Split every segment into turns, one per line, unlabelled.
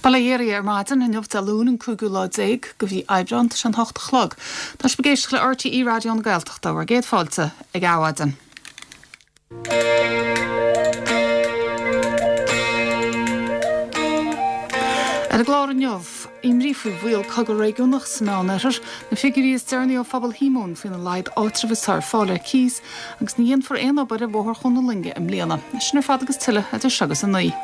Bail ó Dhia oraibh ar maidin inniu Dé Luain an cúigiú lá déag de mhí Aibreán, tá sé an hocht a chlog. Tá sibh ag éisteacht le RTÉ Raidió na Gaeltachta, bhur gcéad fáilte ag Adhmhaidin. Ar an gclár inniu, imní faoi bhaol cogadh réigiúnach sa Meánoirthear, na figiúirí is deireanaí ó Phobal Shíomóin faoina laghad áitreabh atá ar fáil ar cíos, agus ní dhéanfar aon obair ar Bhóthar Chuan na Loinge i mbliana. Sin ar fad agus tuilleadh idir seo agus 9.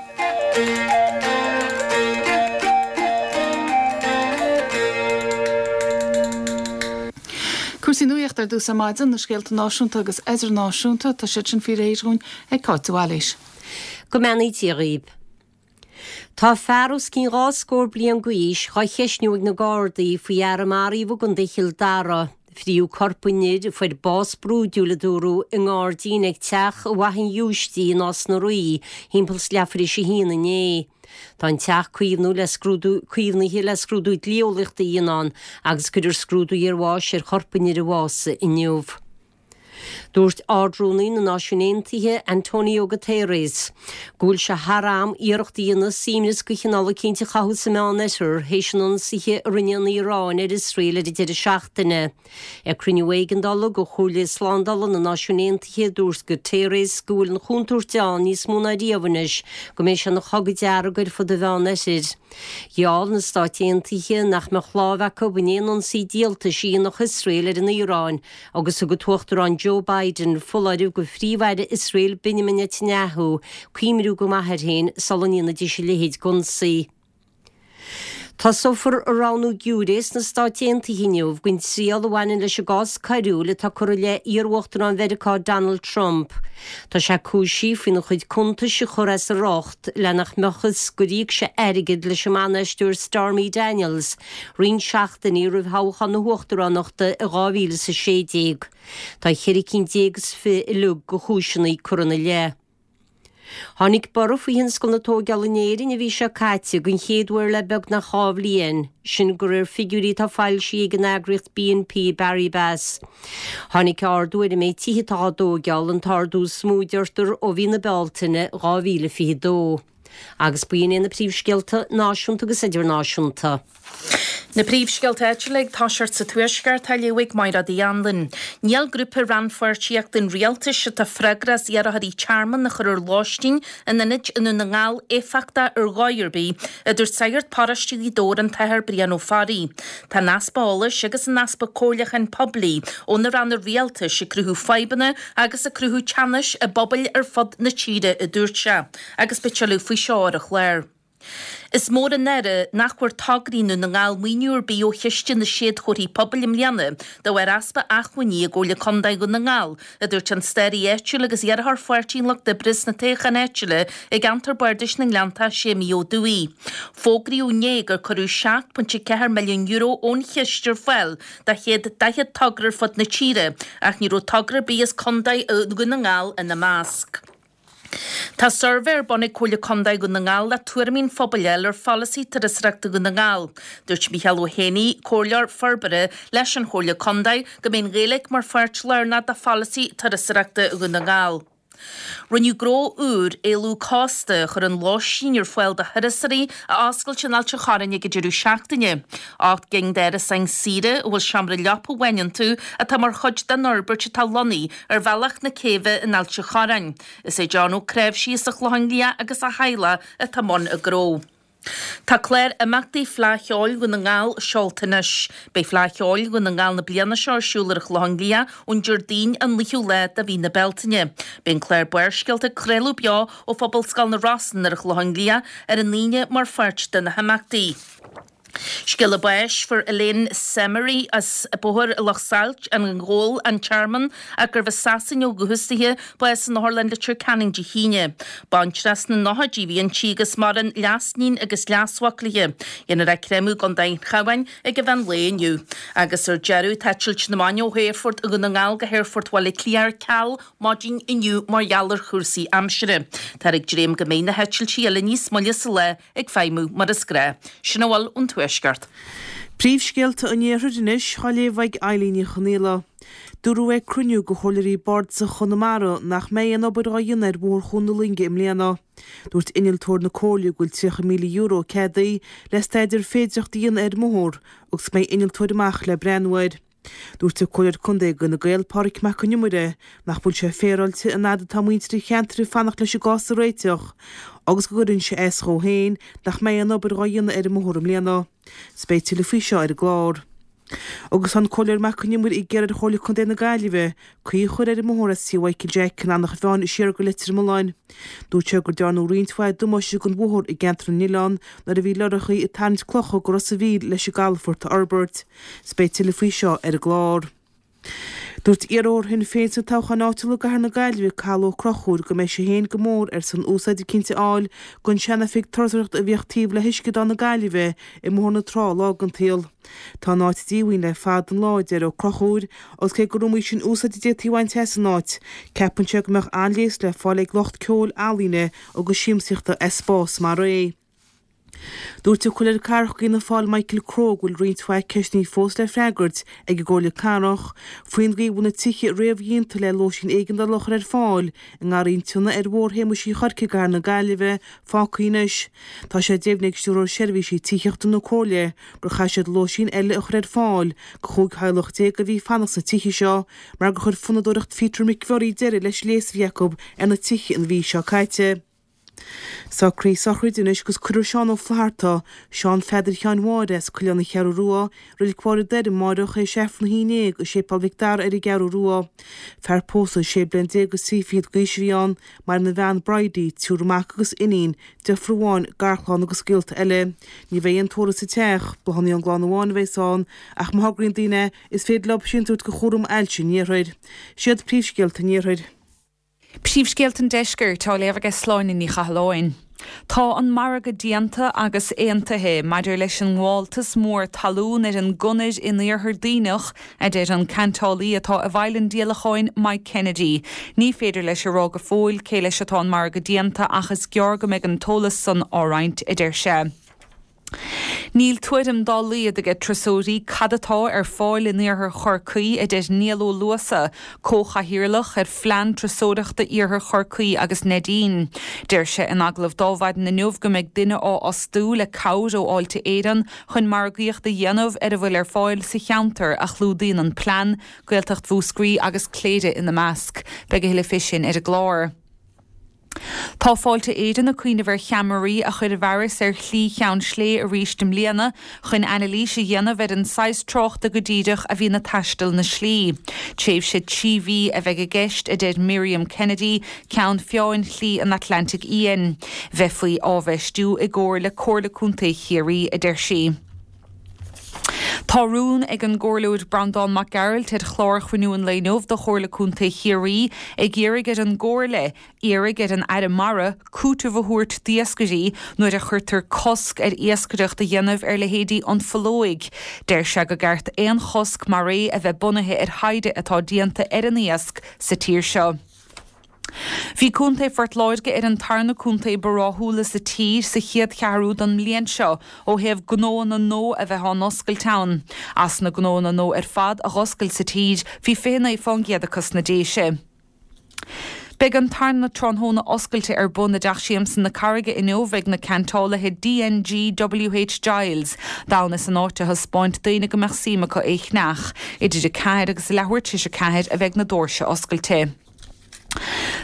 Cúrsaí nuachta ar dtús ar maidin, na scéalta náisiúnta agus idirnáisiúnta, tá siad sin faoi réir dhúinn ag Cáit de Bhailís.
Go mbeannaí Dia dhaoib. Tá fear os cionn 2 scór bliain d'aois dhá cheistniú ag na Gardaí faoi fhear a maraíodh i gContae Chill Dara. Fríodh corp an fhir, a fuair bás brúidiúil a dúradh, i ngairdín ag teach i bhFaiche an Ghiúistí i Nás na Rí thimpeall 's leathuair théis a haon inné. Tá an teach caomhnú le scrúdú caomhnaithe le scrúdú dlí-eolaíochta a dhéanamh ann agus cuirfear scrúdú iarbháis ar chorp an fhir a bhásaigh inniu. Dúirt Ard-Rúnaí na Náisiún Aontaithe, Antonio Guterres, go bhfuil sé thar am iarracht a dhéanamh suaimhneas de chineál eicínt a chothú sa Meánoirthear théis an ionsaithe a rinne an Iaráin ar Iosrael ar an deireadh seachtaine. Ag cruinniú éigeandála de Chomhairle Slándála na Náisiún Aontaithe, dúirt Guterres go bhfuil an chontúirt ann níos mó ná riamh anois go mbeidh sé ina chogadh dearg ar fud an Mheánoirthir. Gheall na Stáit Aontaithe nach mbeadh lámh acu in aon ionsaí díoltais a dhéanfadh Iosrael ar an Iaráin Agus thug an tUachtarán Joe Biden foláireamh do Phríomh-Aire Iosrael Benjamin Netanyahu cuimhniú go maith air féin sula ndéanfaidís a leithéid d'ionsaí. Tosófar an roghnú giúiré sna Stáit Aontaithe inniu don triail a bhaineann leis an gcás coiriúil atá curtha i leith iar-Uachtarán Mheiriceá Donald Trump. Tá sé cúisithe faoina chuid cuntais a chur as a riocht le nach mbeadh a fhios gur íoc sé airgead leis an mban-aisteoir Stormy Daniels roinnt seachtainí roimh thoghchán na huachtaránachta i 2016. Tá cheithre cinn déag is fi uilig de chúiseanna curtha ina leith. Tháinig borradh faoi thionscal na tóigeála in Éirinn an mhí seo caite den chéad uair le beagnach 2 bhliain, sin de réir figiúirí atá foilsithe ag an eagraíocht BNP Paribas. Tháinig ardú ar an méid tithe atá á dtóigeáil, an t-ardú is mó deirtear ó mhí na Bealtaine 2022. Agus b'in iad na príomhscéalta náisiúnta agus idirnáisiúnta.
Na príomhscéalta áitiúla ag toiseacht sa Tuaisceart á léamh ag Mairéad Uí Anluain. Níl grúpa rannpháirtíochta an Rialtais atá freagrach as iarrthóirí tearmainn a chur ar lóistín in ionaid i nDún na nGall éifeachtach ar dhóigh ar bith, a dúirt sagart paróiste Ghaoth Dobhair an tAthair Brian Ó Fearraigh. Tá an easpa eolais agus an easpa comhairliúcháin poiblí ó na ranna rialtais ag cruthú fadhbanna agus ag cruthú teannais i bpobail ar fud na tíre, a dúirt sé. Agus beidh tuilleadh faoi seo ar an chlár. Is mór an náire nach bhfuair tograí i nDún na nGall maoiniú ar bith ó chiste na Séadchomharthaí Pobail i mbliana de bharr easpa acmhainní i gComhairle Contae Dhún na nGall, a dúirt an staraí áitiúil agus iarrthóir Pháirtí an Lucht Oibre sna toghcháin áitiúla i gceantar Bardais na nGleanntach, Séimí Ó Dubhthaigh. Fógraíodh inné gur cuireadh €7.4 milliún ón chiste ar fáil do 140 togra ar fud na tíre ach ní raibh togra ar bith as Contae Dhún na nGall ina measc. Tá suirbhé ar bun ag Comhairle Contae Dhún na nGall le tuairimí an phobail a fháil ar pholasaí turasóireachta Dhún na nGall. Dúirt Mícheál Ó hÉanaí, Comhairleoir Forbartha leis an Chomhairle Contae, go mbeidh an Ghaeilge mar pháirt lárnach de pholasaí turasóireachta Dhún na nGall. Rinneadh gnó úr, Éalú Cósta, a chuireann lóistín ar fáil do thurasóirí, a oscailt in Ailt an Chorráin ag an deireadh seachtaine. 8 gcinn d'árasáin saoire a bhfuil seomra leapa amháin iontu atá mar chuid den fhorbairt atá lonnaithe ar bhealach na céibhe in Ailt an Chorráin. Is é John Ó Cnáimhsí as an Chlochán Liath agus a theaghlach atá i mbun an ghnó. Tá clár imeachtaí Fleadh Cheoil Dhún na nGall seolta anois. Beidh Fleadh Cheoil Dhún na nGall na bliana seo ar siúl ar an Chlochán Liath ón Déardaoin an 9ú lá de mhí na Bealtaine. Beidh an clár Barrscéalta ag craoladh beo ó Phobalscoil na Rosann ar an Chlochán Liath ar an Aoine mar pháirt de na himeachtaí. Scéala báis, Fuair Elaine Semery as Bóthar Loch Sailt, an Ghabhal, An Tearmann, ach gurbh as Sasain ó dhúchas dithe, bás in Otharlann Leitir Ceanainn Dé hAoine. Baintreach sna nóchaidí a bhí inti agus maireann leasiníon agus leasmhac léi. Dhéanfar í a chréamadh i gContae an Chabháin ag an mheán lae inniu. Agus ar deireadh, tá eitilt na mban ó Aerfort Dhún na nGall go hAerfort Bhaile Átha Cliath ar ceal maidin inniu mar gheall ar chúrsaí aimsire. Táthar ag dréim go mbeidh na heitiltí eile níos moille sa lá ag feidhmiú mar is gnáth. Sin a bhfuil ón Tuaisceart.
Príomhscéalta an Iarthair anois á léamh ag Eilín Ní Chonaola. Dúradh ag cruinniú de Chomhairleoirí Bardasach Chonamara nach mbeidh aon obair á dhéanamh ar Bhóthar Chuan na Loinge i mbliana. Dúirt innealtóir na Comhairle go bhfuil €30,000 ceadaithe le staidéar féidearthachta a dhéanamh ar an mbóthar agus go mbeidh innealtóir amach le breathnú air. Dúirt an Comhairleoir Contae d'Fhine Gael, Pádraig Mac Con Iomaire, nach bhfuil sé féaráilte an fhad atá muintir an cheantair ag fanacht leis an gcás a réiteach agus go gcuireann sé as dhó féin nach mbeidh aon obair dhá dhéanamh ar an mbóthar i mbliana. 'S beidh tuilleadh faoi seo ar an gclár. Agus tá an Comhairleoir Mac Con Iomaire ag iarraidh ar Chomhairle Contae na Gaillimhe caoi a chur ar an mbóthar as Tí Mhichael Jack in Eanach Mheáin siar go Leitir Mealláin. Dúirt sé gur dearnadh roinnt mhaith damáiste don bhóthar i gceantar na nOileán nuair a bhí lorrachaí ag tarraingt clocha go Ros a' Mhíl leis an gcalafort a fhorbairt. 'S beidh tuilleadh faoi seo ar an gclár. Dúirt iarrthóir Shinn Féin sna toghcháin áitiúla i gCathair na Gaillimhe, Cathal Ó Conchúir, go mbeidh sé féin go mór ar son úsáid eicínt a fháil don sean-oifig turasóireachta a bhíodh taobh le hUisceadán na Gaillimhe i mBóthar na Trá lá den tsaol. Tá an áit díomhaoin le fada an lá, a deir Ó Conchúir, agus cé gur iomaí sin úsáid a d'fhéadfaí a bhaint as an áit, ceapann sé go mbeadh an-leigheas le fáil ag lucht ceoil, ealaíne agus siamsaíochta as spás mar é. Dúirt an Comhairleoir Cathrach d'Fhianna Fáil Michael Crowe go bhfuil roinnt mhaith ceisteanna fós le freagairt ag an gComhairle Cathrach faoin gcaoi a bhfuil na tithe réamhdhéanta le lóistín éigeandála a chur ar fáil i nGarraí an tSionnaigh ar Bhóthar Shéamuis Uí Chorcaigh i gCathair na Gaillimhe fágtha anois. Tá sé deimhnithe ag Stiúrthóir Seirbhísí Tithíochta na Comhairle gur chaith siad lóistín eile a chur ar fáil do chúig theaghlach déag a bhí ag fanacht sna tithe seo mar gur chuir fonnadóireacht Peter McVerry deireadh leis an léas a bhí acu ar na tithe an mhí seo caite. Socruithe sochraide anois agus cuirfear Seán Ó Flatharta, Seán Pheadair Sheáin Mháire as Coileán na Ceathrú Rua, Reilig Mhachaire Doire amáireach théis Aifreann a 11 i Séipéal Mhic Dara ar an gCeathrú Rua. Fear pósta sé bliana déag agus trí fichid d'aois a bhí ann, maireann a bhean Bridie, triúr mac agus iníon, deirfiúr amháin, garchlann agus gaolta eile. Ní bheidh aon tórramh sa teach, bláthanna ón gclann amháin a bheas ann ach má thograíonn daoine é, is féidir leo síntiús a thabhairt do Chúram Ailse an Iarthair. Siad príomhscéalta an Iarthair.
Príomhscéalta an Deiscirt á léamh aige Sláine Ní Chathalláin. Tá an margadh déanta agus aontaithe maidir leis an ngabháltas mór talún ar an gConair in Iarthar Duibhneach, a deir an ceantálaí atá i bhfeighil an díolacháin, Mike Kennedy. Ní féidir leis a rá go fóill cé leis atá an margadh déanta ach is gearr go mbeidh an t-eolas san á roinnt, a deir sé. Níl tuairim dá laghad aige turasóirí cad atá ar fáil in iarthar Chorcaí, a deir Niall Ó Luasa, comhchathaoirleach ar Phlean Turasóireachta Iarthar Chorcaí agus Neidín. Deir sé in agallamh d'Adhmhaidin inniu go mbeidh duine á fhostú le cabhair ó Fháilte Éireann chun margaíocht a dhéanamh ar a bhfuil ar fáil sa cheantar a chlúdaíonn an plean, Gaeltacht Mhúscraí agus Cléire ina measc. Beidh a thuilleadh fé sin ar an gclár. Tá Fáilte Éireann ag cuimhneamh ar cheamaraí a chur i bhfearas ar Shlí Cheann Slé arís i mbliana chun anailís a dhéanamh ar an saghas tráchta go díreach a bhíonn ag taisteal na slí. Tréimhse 3 mhí a bheidh i gceist, a deir Miriam Kennedy, Ceann Feadhain Shlí an Atlantaigh Fhiáin. Bheifí á bhfeistiú i gcomhar le Comhairle Contae Chiarraí, a deir sí. Tá rún ag an gComhairleoir Breandán Mac Gearailt ar chlár Chruinniú an lae inniu de Chomhairle Contae Chiarraí ag iarraidh ar an gComhairle iarraidh ar an Aire Mara cúiteamh a thabhairt d'iascairí nuair a chuirtear cosc ar iascaireacht a dhéanamh ar leithéidí an pholóig. Deir sé go gceart aon chosc mar é a bheith bunaithe ar thaighde atá déanta ar an iasc sa tír seo. Bhí Contae Phort Láirge ar an tarna contae ba ráthúla sa tír sa chéad cheathrú den mbliain seo ó thaobh gnóanna nua a bheith á n-oscailt ann. As na gnóanna nua ar fad a dh'oscail sa tír, bhí 29% acu sna Déise. Beidh an tarna tráthnóna oscailte ar bun i dTeach Siamsa na Carraige inniu ag na ceantálaithe DNG WH Giles, d'fhonn is an áit a thaispeáint d'aoinne go mbeadh suim acu é cheannach. Idir 4 agus leathuair tar éis a 4 a bheidh na doirse oscailte.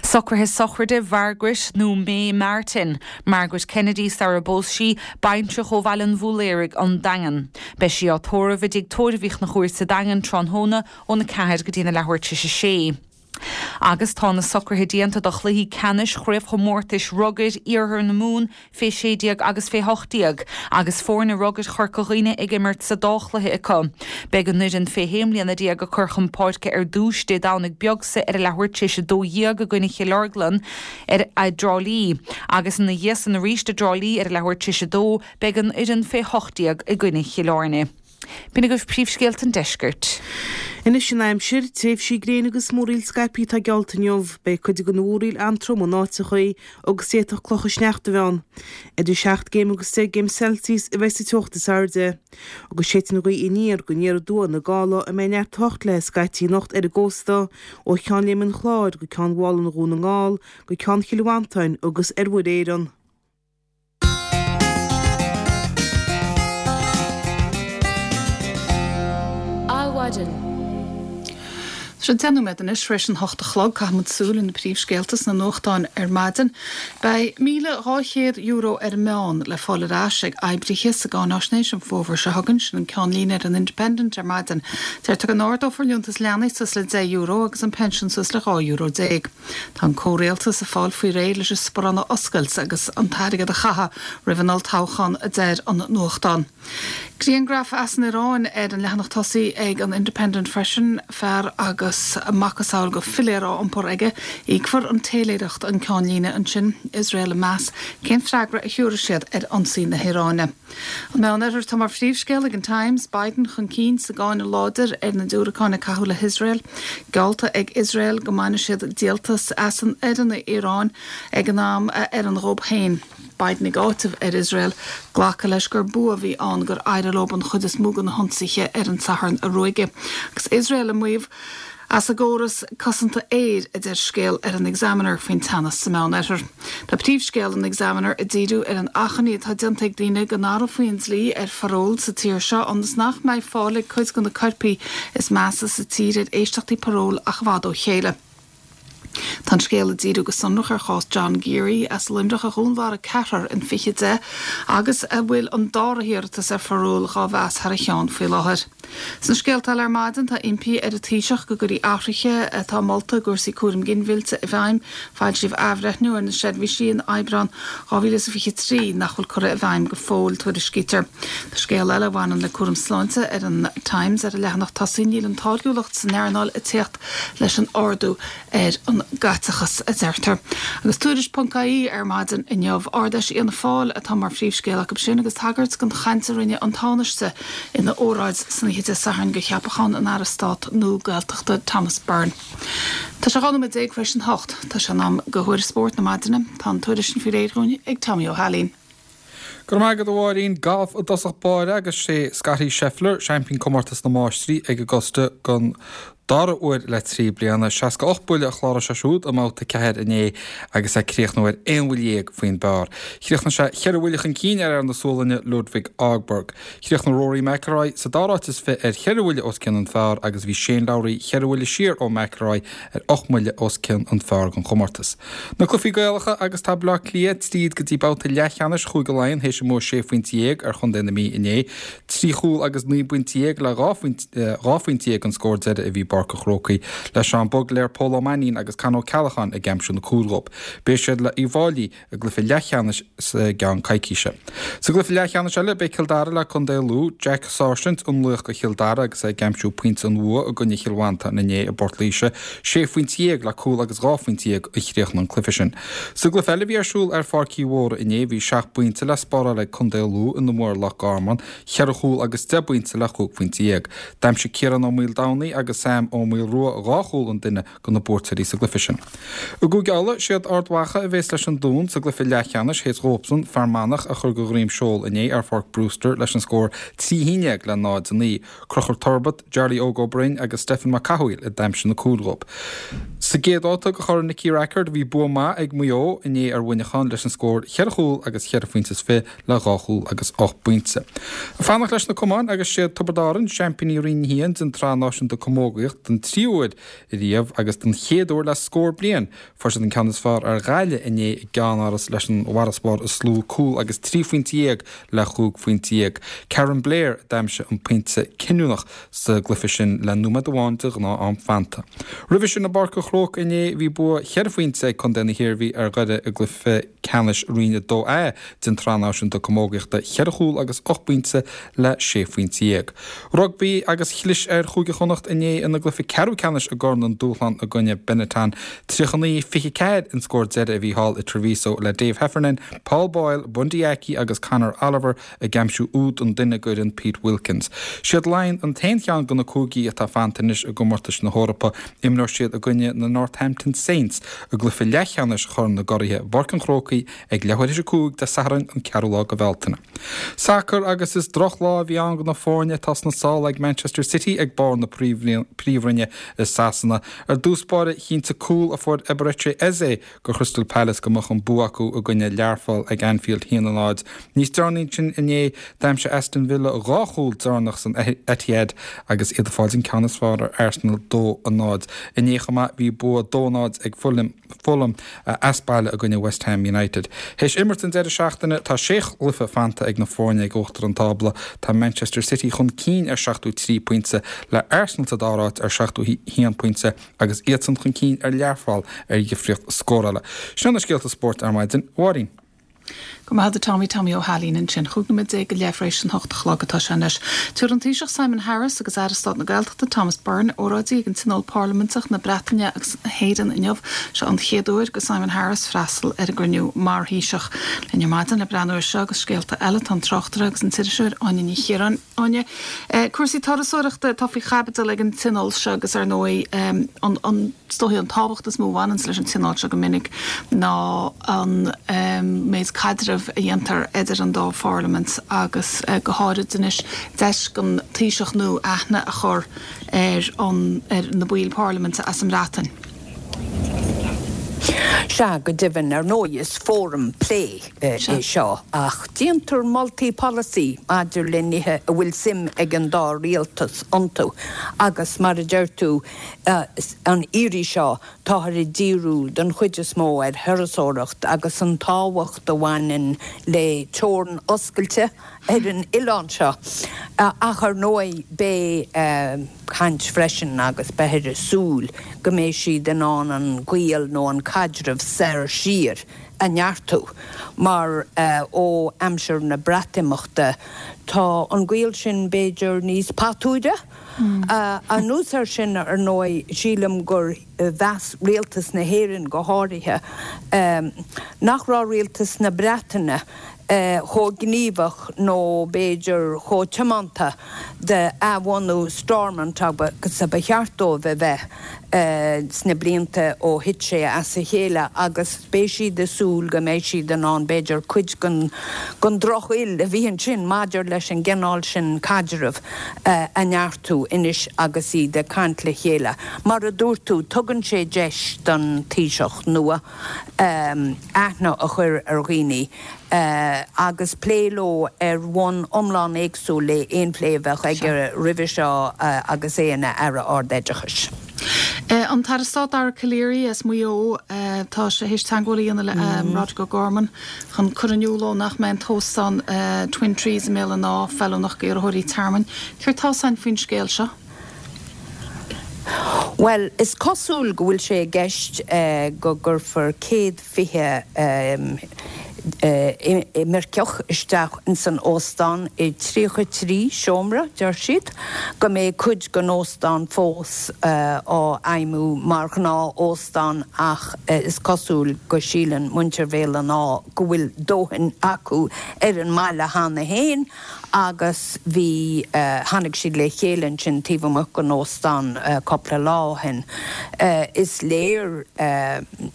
Socruithe sochraide Mhargaret nó May Martin, Margaret Kennedy sara bpós sí, baintreach ó Bhaile an Bhúiléaraigh, An Daingean. Beidh sí á tórramh i dTigh Tórraimh Uí Chonchúir sa Daingean tráthnóna óna 4 go dtína leathuair tar éis a sé. Agus tá na socruithe déanta do chluichí ceannais chraobhchomórtais rugair Iarthar na Mumhan fé 16 agus fé 18, agus foirne rugair Chorca Dhuibhne ag imirt sa dá chluiche acu. Beidh an fhoireann fé shé mbliana déag ag cur chun páirce ar dtúis Dé Domhnaigh beag seo ar a leathuair tar éis 12 i gcoinne Chill Orglan ar i dTrá Lí, agus ina dhiaidh san arís i dTrá Lí ar a leathuair tar éis 2 beidh an fhoireann fé 18 i gcoinne Chill Airne. B'in agaibh príomhscéalta an deiscirt.
Anois an aimsir, tréimhsí gréine agus múraíl scaipthe atá geallta inniu. Beidh cuid de na múraíl an-trom in áiteachaí agus d'fhéadfadh clocha sneachta a bheith ann. Idir 7 gcéim agus 10 gcéim Celsius a bheidh sa teocht is airde. Agus séidfidh an ghaoth aniar go aniar aduaidh na gála a mbeidh neart teocht léi scaití anocht ar an gcósta, ó Cheann Léime an Chláir go Ceann Mhálanna Dhún na nGall go Ceann Chill Mhantáin agus ar Mhuir Éireann.
Adhmhaidin. Tá sé 10 nóiméad anois tar éis an hocht a chlog. Caithfimid súil ar na príomhscéalta sna nuachtáin ar maidin. Beidh €1,200 ar an meán le fáil ar ais ag oibrithe sa gcáináisnéis an fómhar seo chugainn, sin an ceannlíne ar an Independent ar maidin. Deirtear go n-ardófar liúntas leanaí suas le €10 agus an pension suas le €12. Tá an comhrialtas ag fáil faoi réir leis an sparán a oscailt agus an t-airgead a chaitheamh roimh an olltoghchán, a deir an nuachtán. Griangraf as an Iaráin ar an leathanach tosaigh ag an Independent freisin, fear agus macasamhail de philéar á iompar aige. Íocfar an téiléireacht an ceannlíne ansin. Iosrael ag meas cén freagra a thiúrfaidh siad ar ionsaí na hIaráine. An Meánoirthear Tá mar phríomhscéal ag an Times, Biden chun cinn sa gcáineadh láidir ar na diúracáin a caitheadh le hIosrael. Geallta ag Iosrael go mbainfidh siad díoltas as an ar an Iaráin ag an am a oireann dhób féin. Biden ag áiteamh ar Iosrael glacadh leis gur bua a bhí ann gur éirigh leo an chuid is mó de na hionsaithe ar an Satharn a ruaigeadh. Agus Iosrael ag maíomh as a gcóras cosanta aeir, a deir scéal ar an Examiner faoin teannas sa Meánoirthear. Tá príomhscéal an Examiner ag díriú ar an achainí atá déanta ag daoine go n-athrófaí an dlí ar pharól sa tír seo ionas nach mbeidh fáil ag cuid de na coirpigh is measa sa tír ar éisteachtaí paróil ach i bhfad ó chéile. Tá an scéal ag díriú go sonrach ar chás John Geary as Luimneach a dhúnmharaigh ceathrar in 2010 agus a bhfuil an dara hiarratas ar pharól dhá mheas thar a cheann faoi láthair. Sna scéalta eile ar maidin tá impí ar an Taoiseach go gcuirfí athruithe atá molta i gcúrsaí cúraim ginmhillte i bhfeidhm. Foilsíodh athbhreithniú ar na seirbhísí in Aibreán 2023 nach bhfuil curtha i bhfeidhm go fóill, tuairiscítear. Tá scéal eile a bhaineann le cúram sláinte ar an Times ar an leathanach tosaigh. Níl an táirgiúlacht san earnáil ag teacht leis an ardú ar an gcaiteachas, a deirtear. Agus Tuairisc ponc ie ar maidin inniu, Ard-Fheis Fhianna Fáil atá mar phríomhscéal acu sin agus tagairt don chaint a rinne an Tánaiste ina óráid san oíche Dé Sathairn do cheapachán an Aire Stáit nua Gaeltachta Thomas Byrne. Tá sé 12 nóiméad tar éis an hocht. Tá sé in am do thuairisc spóirt na maidine. Tá an tuairisc sin faoi réir dhúinn ag Tommy Ó hAilín.
Go raibh maith agat a Mháirín. Galf i dtosach báire agus sé Scottie Scheffler, seaimpín comórtas na Máistrí ag Augusta don dara huair le 3 bliana. 68 buille a chláraigh sé siúd i mbabhta 4 inné agus é ag críochnú ar aon bhuille dhéag faoin bpar. Chríochnaigh sé cheithre bhuille chun cinn ar fhear na Sualainne Ludvig Åberg. Chríochnaigh Rory McIlroy sa dara háit is fi ar cheithre bhuille os cionn an phar agus bhí Shane Lowry cheithre bhuille siar ó McIlroy ar ocht mbuille os cionn an phar don chomórtas. Na cluichí Gaelacha agus tá Baile Átha Cliath tríd go dtí babhta leathcheannais Chúige Laighean théis a mbua sé phointe dhéag ar chontae na Mí inné. Trí chúl agus 19 bpointe le 12 phointe an scór deiridh a bhí i bPáirc an Chrócaigh le Seán Bugler, Pól Ó Mainnín agus Con Ó Ceallacháin ag aimsiú na cúil dhóibh. Beidh siad le Uíbh Fhailí i gcluiche leathcheannais i gceann coicíse. Sa gcluiche leathcheannais eile, beidh Cill Dara le Contae Lú. Jack Sáirsint an laoch do Chill Dara agus é ag aimsiú pointe an bhua i gcoinne Chill Mhantáin inné i bPort Laoise. Sé phointe dhéag le cúl agus dhá phointe dhéag a chríochnaigh an cluiche sin. Sa gcluiche eile a bhí ar siúl ar Pháirc Uí Mhórdha inné, bhí seacht bpointe le spáráil ag Contae Lú ina mbua ar Loch Garman, cheithre chúl agus deich bpointe le chúig phointe dhéag. D'aimsigh Ciarán Ó Maoldomhnaigh agus Sam Ó Maolrua dhá chúl an duine do na buaiteoirí sa gcluiche sin. I gCúige Uladh, siad Ard Mhacha a bhéas leis an Dún sa gcluiche leathcheannais théis dhóibhsan Fear Manach a chur de dhroim seoil inné ar Pháirc Brewster leis an scór 3 1 le 0 9. Conchúr Turbitt, Jarly Óg Ó Broin agus Stephen Mac Cathmhaoil a d'aimsigh na cúil dhóibh. Sa gcéad bhabhta de Chorn Nicky Rackard bhí bua maith ag Maigh Eo inné ar Mhuineachán leis an scór cheithre chúl agus cheithre phointe is fiche le dhá chúl agus ocht bpointe. Ag fanacht leis na camáin agus siad Tiobraid Árann, seaimpíní Roinn 1 den tSraith Náisiúnta Camógaíocht den tríú huair riamh agus den chéad uair le scór bliain. Fuair siad an ceann is fearr ar Ghaillimh inné i gceannáras leis an bhfarasbarr is lú, cúl agus 13 phointe le chúig phointe dhéag. Karen Blair a d'aimsigh an pointe cinniúnach sa gcluiche sin le nóiméad amháin de ghnáth-am fanta. Roimhe sin i bPáirc an Chrócaigh inné bhí bua cheithre phointe ag contae na hIarmhí ar Dhoire i gcluiche. Ceannais Roinn 2A den tSraith Náisiúnta Camógaíochta, cheithre chúl agus 8 bpointe le 16 phointe. Rugbaí agus chlis ar Chúige Chonnacht inné ina gcluiche ceathrú ceannais i gCorn an Dúshlán i gcoinne Benetton. 39, 24 an scór deiridh a bhí thall i Treviso le Dave Heffernan, Paul Boyle, Bundee Aki agus Conor Oliver ag aimsiú úd an duine d'fhoireann Pete Wilkins. Siad Laighin an t-aon cheann de na cúigí atá fanta anois i gcomórtais na hEorpa. Imreoidh siad i gcoinne na Northampton Saints i gcluiche leathcheannais Chorn na gCuraithe i bPáirc an Chrócaigh ag leathuair théis 5 Dé Sathairn an ceathrú lá de Bhealtaine. Sacar agus is drochlá a bhí ann do na foirne atá sna sála ag Manchester City ag barr na Príomhroinne i Sasana. Ar dtús báire chinntigh cúl a fuair Eberechi Eze do Chrystal Palace go mbeadh an bua acu i gcoinne Learpholl ag Anfield 1-0. Níos deireanaí ansin inné d'aimsigh Aston Villa 2 chúl deireanach san Etihad agus iad ag fáil an ceann is fearr ar Arsenal 2-0. Inné chomh maith bhí bua 2-0 ag Fulham as baile i gcoinne West Ham United. Théis imirt an deireadh seachtaine tá sé chluiche fanta ag na foirne ag uachtar an tábla. Tá Manchester City chun cinn ar 73 pointe le Arsenal sa dara háit ar 71 pointe. agus iadsan chun cinn ar Learpholl ar dhifríocht scórála. Sin na scéalta spóirt ar maidin, a Mháirín.
Go raibh maith agat a Tommy, Tommy Ó hAilín ansin. 15 nóiméad go leith tar éis an hocht a chlog atá sé anois. Tabharfaidh an Taoiseach Simon Harris agus Aire Stáit na Gaeltachta Thomas Byrne óráidí ag an Tionól Parlaiminteach na Breataine agus na hÉireann inniu. Seo an chéad uair do Simon Harris freastal ar an gcruinniú mar Thaoiseach. Linn ar maidin le breathnú air seo agus scéalta eile tá an tráchtaire agus an t-iriseoir Áine Ní Chiaráin. Áine, Cúrsaí turasóireachta atá faoi chaibidil ag an tionól seo agus ar ndóigh an, an, is dóichí an tábhacht is mó a bhaineanns leis an tionól seo go minic ná an méid caidrimh a dhéantar idir an dá pharlaimint agus go háirid anois deis don Taoiseach nua aithne a chur ar an, ar na baill parlaiminte as an mBreatain.
Sea, go deimhin, ar ndóigh is fóram plé é seo ach déantar moltaí polasaí maidir le nithe a bhfuil suim ag an dá rialtas iontu agus mar a deir tú, an iarraidh seo táthar ag díriú den chuid is mó ar thurasóireacht agus an tábhacht a bhaineann le teorainn oscailte ar an oileán seo. Ach ar ndóigh beidh caint freisin agus beifear ag súil go mbeidh siad in ann an gaol nó an caidreamh soir siar a neartú mar ó aimsir na Breatimeachta tá an gaol sin b'fhéidir níos patuaire. Anuas air sin, ar ndóigh, sílim gur mheas rialtas na hÉireann go háirithe nach raibh rialtas na Breataine chomh gníomhach nó b'fhéidir chomh tiomanta d'athbhunú Stormont agus a ba cheart dóibh a bheith sna blianta ó thit sé as a chéile agus beidh siad ag súil go mbeidh siad in ann b'fhéidir cuid den drochfhuil a bhí ansin maidir leis an gcineál sin caidrimh a neartú anois agus iad ag caint le chéile. Mar a dúirt tú, tugann sé deis don Taoiseach nua aithne a chur ar dhaoine agus plé leo ar bhonn iomlán éagsúil le aon phlé a bheadh aige roimhe seo agus é ina Aire Ard-Oideachais.
An tAire Stáit Dara Calleary as Maigh Eo, tá sé théis teagmháil a dhéanamh le Roderic O'Gorman chun cur in iúl dó nach mbeidh an t-óstán Twin Trees i mBéal an Átha feiliúnach d'iarrthóirí tearmainn. Céard tá 'fhios a'inn faoin scéal seo?
Bhuel, is cosúil go bhfuil sé i gceist go gcuirfear 120 imirceach isteach ins an óstán i 33 seomra, deir siad, go mbeidh cuid den óstán fós á fheidhmiú mar ghnáth-óstán ach is cosúil go síleann muintir Bhéal an Átha go bhfuil dóthain acu ar an mbaile cheana féin. agus bhí, tháinig siad le chéile ansin taobh amuigh den óstán cúpla lá ó shin. Is léir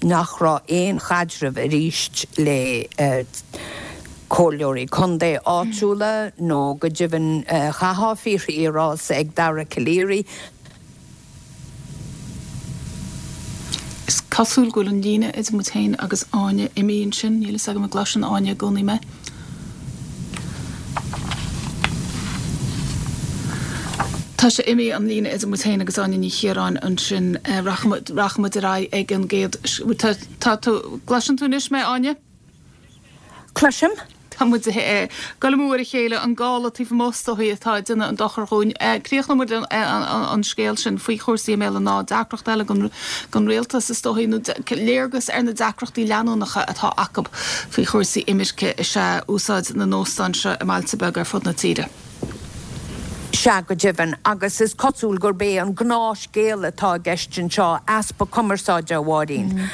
nach raibh aon chaidreamh arís le comhairleoirí contae áitiúla nó go deimhin chaithfeá fírinne a rá ag Dara Calleary.
Is cosúil go bhfuil an líne idir muid féin agus Áine imithe ansin. Níl fhios agam an gcloiseann Áine i gcónaí mé. Tá sé imithe, an líne idir muid féin agus Áine Ní Chiaráin ansin. Rachaidh muid ar aghaidh ag an gcéad, tá tú, gcloiseann tú anois mé, Áine?
Cloisim.
Tá muid ag dul amú ar a chéile, an gála taobh amuigh is dóichí atá ag déanamh an dochar dhúinn. Críochnóidh muid an scéal sin faoi chúrsaí i mBéal an Átha, deacracht eile don rialtas is dóichí, nó léargas ar na deacrachtaí leanúnacha atá acu faoi chúrsaí imirce is ea úsáid na n-óstán seo i mbailte beaga ar fud na tíre.
Sea, go deimhin, agus is cosúil gurb é an gnáthscéal atá i gceist anseo, easpa cumarsáide, a Mháirín.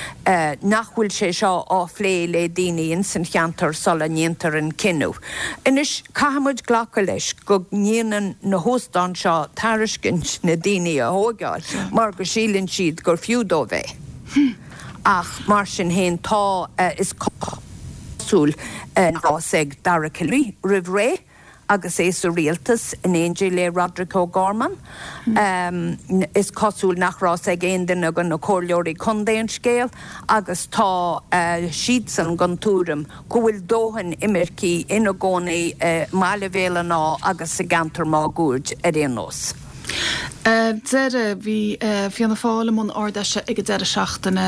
Nach bhfuil sé seo á phlé le daoine ins an cheantar sula ndéantar an cinneadh. Anois, caithfidh muid glacadh leis go ndéanann na hóstáin seo tairiscint na daoine a thóigeáil mar go síleann siad gur fiú dóibh é. Ach mar sin féin, tá, is cosúil, nach raibh fhios ag Dara Calleary roimh ré. Agus é sa rialtas in éindí le Roderic O'Gorman, is cosúil nach raibh fhios ag aon duine de na comhairleoirí contae an scéal agus tá siadsan den tuairim go bhfuil dóthain imircigh ina gcónaí i mbaile Bhéal an Átha agus sa gceantar máguaird ar aon nós.
Ar deireadh, bhí Fianna Fáil i mbun Ard-Fheise ag an deireadh seachtaine.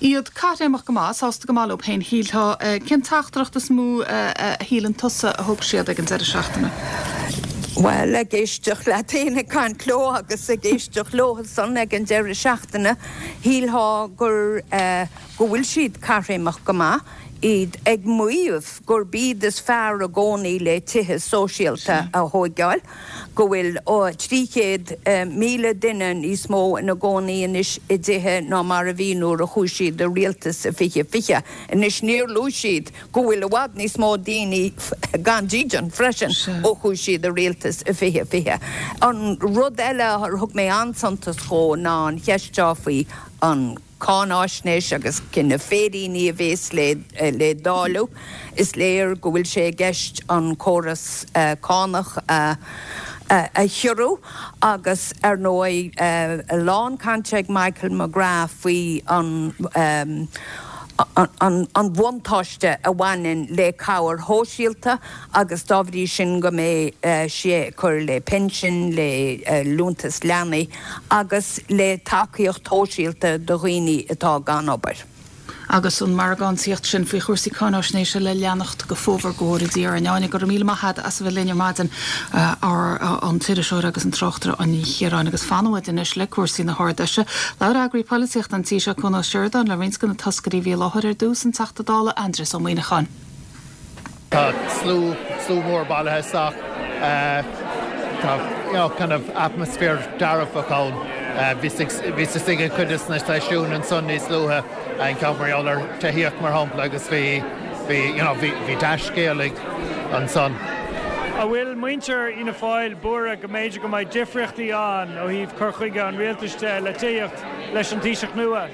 Iad caithréimeach go maith, sásta go maith leo féin, shílfeá. Cén teachtaireacht is mó a shíleann tusa a thug siad ag an deireadh seachtaine?
Bhuel, ag éisteacht leat féin ag caint leo agus ag éisteacht leosan ag an deireadh seachtaine, shílfeá gur, go bhfuil siad caithréimeach go maith, iad ag maíomh gurb iad is fearr i gcónaí le tithe sóisialta a thóigeáil. go bhfuil 300,000 duine níos mó ina gcónaí anois i dtithe ná mar a bhí nuair a chuaigh siad i rialtas i 2020. Anois níor luaigh siad go bhfuil i bhfad níos mó daoine gan dídean freisin ó chuaigh siad i rialtas i 2020. An rud eile ar thug mé an-suntas dhó ná an cheist seo faoi an. cáináisnéis agus cé na féiríní a bhéas le dáileadh. Is léir go bhfuil sé i gceist an córas cánach a chiorrú agus, ar ndóigh, a lán cainte ag Michael McGrath faoi an an bhuntáiste a bhaineann le cabhair shóisialta agus dá bhrí sin go mbeidh sé ag cur le pinsin, le liúntas leanaí. agus le tacaíocht shóisialta do dhaoine atá gan obair.
Agus an mhargántaíocht sin faoi chúrsaí cáináisnéise le leanacht go fómhar, go bhfóire Dia orainn. Áine, go raibh míle maith agat as a bheith linn ar maidin, an t-iriseoir agus an tráchtaire Áine Ní Chiaráin. Agus fanfaidh muid anois le cúrsaí na hArd-Fheise. Labhair eagraí polaitíochta an tí seo, Cuan Ó Seireadáin, le roinnt de na toscairí a bhí i láthair ar dtús, an Teachta Dála Aindrias Ó Muimhneacháin.
Tá slua, slua mór bailithe isteach. Tá, you know, kind of atmaisféar dearfach ann. Bhíos istigh ag cuid de na seisiúin ansan níos luaithe, an ceann mar gheall ar tithíocht mar shampla agus bhí, bhí, you know, bhí, bhí dea-scéal ansan.
An bhfuil muintir Fhianna Fáil buartha go mb'fhéidir go mbeidh difríochtaí ann ó thaobh cur chuige an rialtais de le tithíocht leis an Taoiseach nua?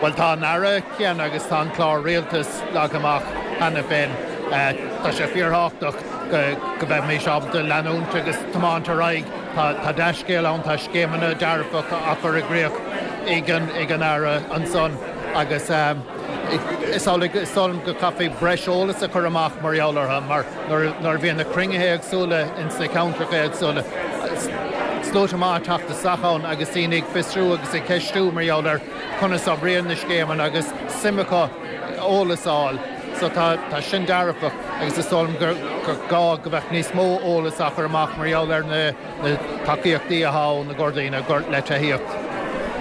Bhuel, tá an Aire céanna agus tá an clár rialtais leagtha amach cheana féin. Tá sé fíorthábhachtach go mbeimís ábalta leanúint agus tiomáint ar aghaidh. Tá dea-scéal ann, tá scéimeanna dearfacha á chur i gcrích ag an Aire ansan agus is amhlaidh, is dóigh liom go gcaithfí breis eolais a chur amach mar gheall orthu mar nuair a bhíonn na cruinnithe éagsúla ins na ceantracha éagsúla, sluaite maith ag teacht isteach ann agus daoine ag fiosrú agus ag ceistiú mar gheall ar conas a oibríonn na scéimeanna agus suim acu eolas a fháil. So tá, tá sin dearfach agus is dóigh liom gur, gur gá go mbeadh níos mó eolas á chur amach mar gheall ar na, na tacaíochtaí atá ann i gcomhair daoine le tithíocht.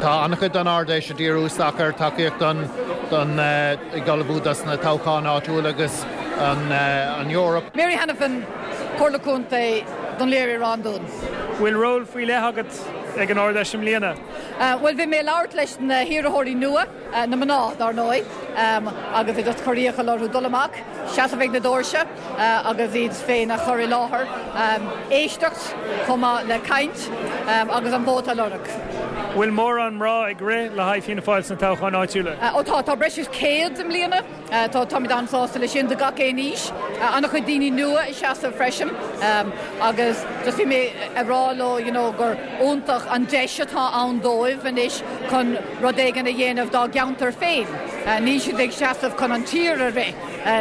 Tá an-chuid den Ard-Fheis ag díriú isteach ar tacaíocht don, don, ag ullmhú dos na toghcháin áitiúla agus an, an Eoraip.
Mary Hanafin, Comhairle Contae Dún Laoghaire-Ráth an Dúin.
Bhfuil ról faoi leith agat ag an Ard-Fheis i mbliana?
Bhuel, bhí mé ag labhairt leis na hiarrthóirí nua, na mná, dár ndóigh, agus ag just cur iachall orthu dul amach, seasamh ag na doirse agus iad féin a chur i láthair, éisteacht chomh maith le caint agus an vóta a lorg.
Bhfuil mórán mná ag rith le haghaidh Fianna Fáil sna toghcháin áitiúla?
Ó tá, tá breis is 100 i mbliana. Tá, táimid an-sásta leis sin, de gach aon aois. An-chuid daoine nua ag seasamh freisin agus just bhí mé ag rá leo you know gur iontach an deis atá ann dóibh anois chun rud éigin a dhéanamh dá gceantar féin. Níl siad ag seasamh chun an tír a rith,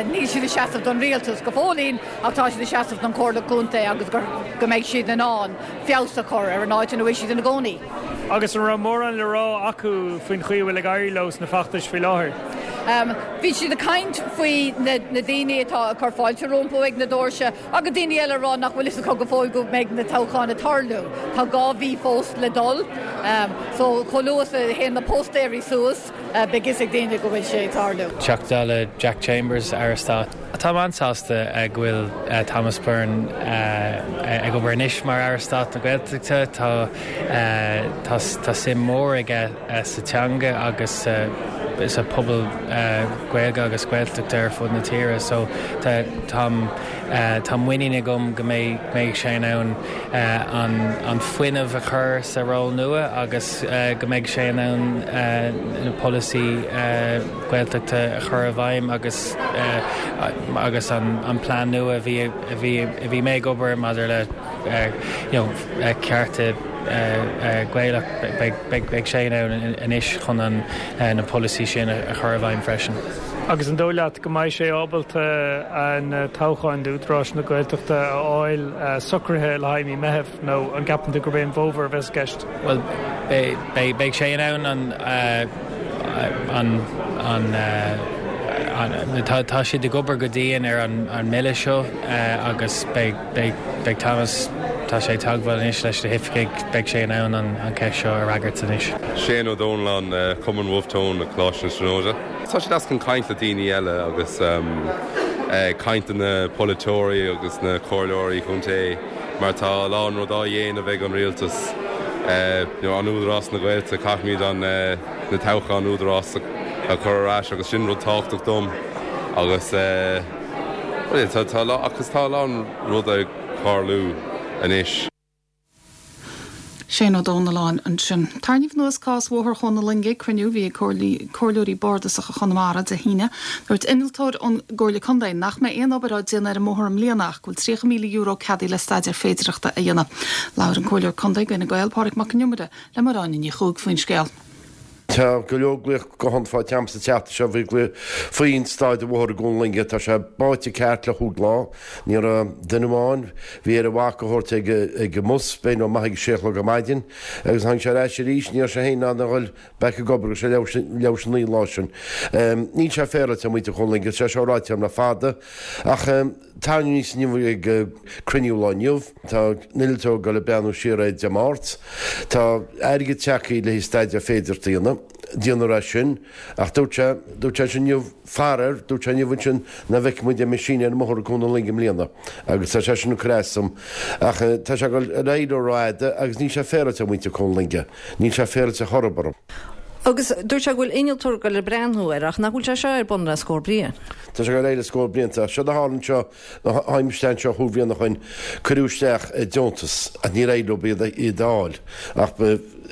níl siad ag seasamh don rialtas go fóillín ach tá siad ag seasamh don Chomhairle Contae agus gur, go mbeidh siad in ann feabhas a chur ar an áit ina bhfuil siad ina gcónaí.
Agus an raibh mórán le rá acu faoin chaoi a bhfuil ag éirí leo sna feachtais faoi láthair?
Bhí siad ag caint faoi na daoine atá ag cur fáilte rompu ag na doirse agus daoine eile ag rá nach bhfuil fhios acu go fóill go mbeidh na toghcháin ag tarlú. Tá 2 mhí fós le dul so chomh luath is a théann na póstaeirí suas beidh fhios ag daoine go bhfuil sé ag tarlú.
Teachta Dála Jack Chambers, Aire Stáit. Táim an-sásta go bhfuil Thomas Byrne ag obair anois mar Aire Stáit na Gaeltachta. Tá tá suim mhór aige sa teanga agus sa phobal Gaeilge agus Gaeltachta ar fud na tíre so tá tá muinín agam go mbeidh sé in ann an fuinneamh a chur sa ról nua agus go mbeidh sé in ann na polasaí Gaeltachta a chur i bhfeidhm agus agus an plean nua a bhí a bhí a bhí mé ag obair maidir le you know cearta Gaelach beidh sé in ann anois chun an na polasaí sin a chur i bhfeidhm freisin.
Agus an dóigh leat go mbeidh sé ábalta an toghchán d'Údarás na Gaeltachta a fháil socraithe le haghaidh mí Meithimh nó an gceapann tú gurb é an bhfómhar a bheas i gceist?
Bhuel, beidh sé in ann an an an tá siad ag obair go dian ar an mbille seo agus beidh beidh Thomas, tá sé ag teagmháil anois leis na hoifigigh, beidh sé in ann an cheist seo a fhreagairt anois.
Shane Ó Domhnalláin, Cumann Wolfe Tone, Coláiste na Tríonóide. Tá sé deas chun caint le daoine eile agus caint le na polaiteoirí agus na comhairleoirí chontae mar tá a lán rud á dhéanamh ag an rialtas, you know, an Údarás na Gaeltachta, caithfimid an na toghcháin Údarás a chur ar ais agus sin rud tábhachtach dom agus well tá tá agus tá a lán rud ag tarlú anois.
Shane Ó Domhnalláin ansin. Tarraingíodh anuas cás Bhóthar Chuan na Loinge ag cruinniú a bhí ag Comhairleoirí Bardasacha Chonamara Dé hAoine. Dúirt innealtóir ón gComhairle Contae nach mbeidh aon obair á déanamh ar an mbóthar i mbliana ach go bhfuil €30,000 ceadaithe le staidéar féidearthachta a dhéanamh. Labhair an Comhairleoir Contae d'Fhine Gael, Pádraig Mac Con Iomaire, le Máire Áine Ní Chuaig faoin scéal.
Tá go leor glaoch guthán faighte agam sa tseachtain seo faoi glaoch faoin staid an bhóthair i gCuan na Loinge. Tá sé báite ceart le chúig lá. Ní raibh duine amháin, bhí air a mhac a thabhairt ag ag an mbus, b'fhéidir nó maith ag a sé a chlog ar maidin agus tháinig sé ar ais arís, ní raibh sé féin in ann a dhul back ag obair go raibh sé leathuair leathuair théis a naoi an lá sin. Níl sé féaráilte ar mhuintir Chuan na Loinge, tá sé seo ráite agam le fada ach tarraingíodh aníos inniu ag cruinniú lá inniu. Tá an t-innealtóir ag dul ag breathnú siar air Dé Máirt. Tá airgead tagtha le haghaidh staidéar féidearthachta a dhéanamh. Déanfar é sin. Ach dúirt sé, dúirt sé sin inniu, faraor, dúirt sé inniu ansin nach bhfeicfidh muid aon machine ar an mbóthar i gCuan na Loinge i mbliana. Agus tá sé sin ag cur as dom. Ach tá sé ag dul ar aghaidh leo rófhada agus níl sé féaráilte ar mhuintir Chuan na Loinge. Níl sé féaráilte chor ar bith.
Agus dúirt sé go bhfuil innealtóir ag dul ag breathnú air ach nach bhfuil sé seo ar bun le scór bliain?
Tá sé ag dul ar aghaidh le scór blianta. Ach séard a tharla anseo, Tháinig mise isteach anseo chúig bhliana ó shoin, cuireadh isteach deontas ach níor éirigh leo iad a fháil ach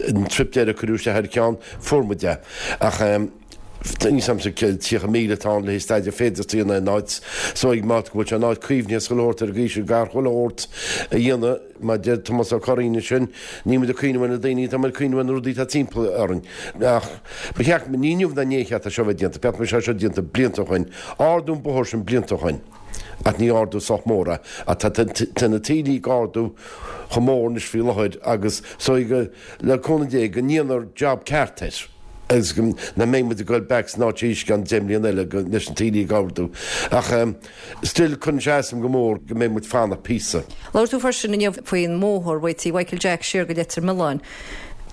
an trip deireadh cuireadh isteach ar ceann, fuair muid é. Ach níl 's a'msa 30,000 atá ann le haghaidh staidéar féidearthachta a dhéanamh in áit so ag má go bhfuil sé in áit caomhnaithe is chuile shórt ar an gcaoi sin gar chuile shórt a dhéanamh mar deir Tomás Ó Curraoin ansin, níl muid ag cuimhneamh ar na daoine, tá muid ag cuimhneamh ar na rudaí atá timpeall orainn. Ach ba cheart, ní inniu ná inné a cheart é seo a bheith déanta, ba cheart go mbeadh sé seo déanta blianta ó shoin. Ardú an bóthar sin blianta ó shoin. Ach ní ardú sách mór é. Ach tá tá na taoillí ag ardú chomh mór anois faoi láthair agus so go, le cúnamh Dé, go ndéanfar job ceart air agus go nach mbeidh muid ag goil back san áit arís i gceann 10 mbliana eile go, leis na taoillí ag ardú. Ach still cuireann sé as dom go mór go mbeidh muid fanacht píosa.
Labhair tú freisin inniu faoin mbóthar ó Tigh Mhichael Jack siar go Leitir Mealláin.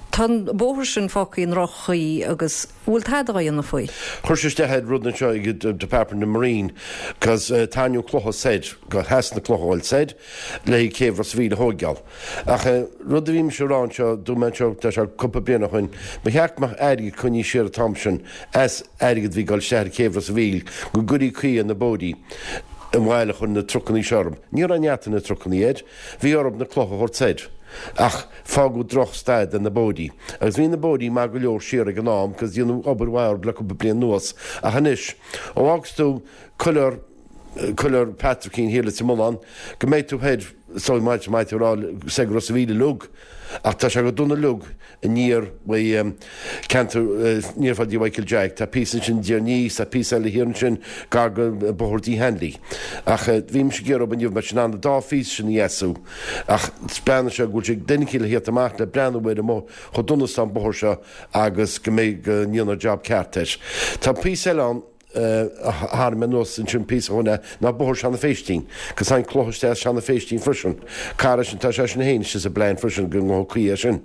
Tá an bóthar sin fágtha i ndroch-chaoi agus. bhfuil tada á dhéanamh faoi?
Chuir sé isteach ar rud anseo ag Department of Marine cos tarraingíodh clocha soir, go theas na clocha a fháil soir le haghaidh céibh Ros a' Mhíl a thóigeáil. Ach rud a bhí mise a rá anseo, dúirt mé anseo, tá sé cúpla bliain ó shoin, ba cheart go mbeadh airgead coinnithe siar an t-am sin as airgead a bhí ag dul isteach ar chéibh Ros a' Mhíl go gcuirí caoi ar na bóithrí an bhaile a chuir na trucannaí seo orthu. Ní raibh neart ag na trucannaí air, bhí orthu na clocha a thabhairt soir. Ach fágadh droch staid ar na bóithrí. Agus bhí na bóithrí maith go leor siar ag an am cos déanadh obair mhaith orthu le cúpla bliain anuas. Ach anois, ó fhágas tú coilear. Coileár Patrickín thiar Leitir Mealláin, go mbeidh tú thoir, is dóigh maith maith tú a rá soir go Ros a' Mhíl uilig, ach tá sé go dona uilig aniar uaidh ceantar, aniar fá dtí Mhichael Jack, tá píosa ansin Dtír an Fhia, tá píosa eile thiar ansin gar go Bóthar D Hanley. Ach bhí mise ag iarraidh inniu mar sin an dá phíosa sin a dheasú, ach breathnaigh sé go bhfuil sé duine eicínt le thíocht amach le breathnú ar an mbóthar, chomh dona is atá an bóthar seo agus go mbeidh, go ndéanfar job ceart air. Tá píosa eile ann. a tharraing mé anuas ansin píosa ó shin é, ná Bóthar Seanadh Phéistín. Cos tá an cloch isteach as Seanadh Phéistín freisin. Cara sin, tá sé sin féin istigh sa bplean freisin go ngabhfaidh caoi air sin.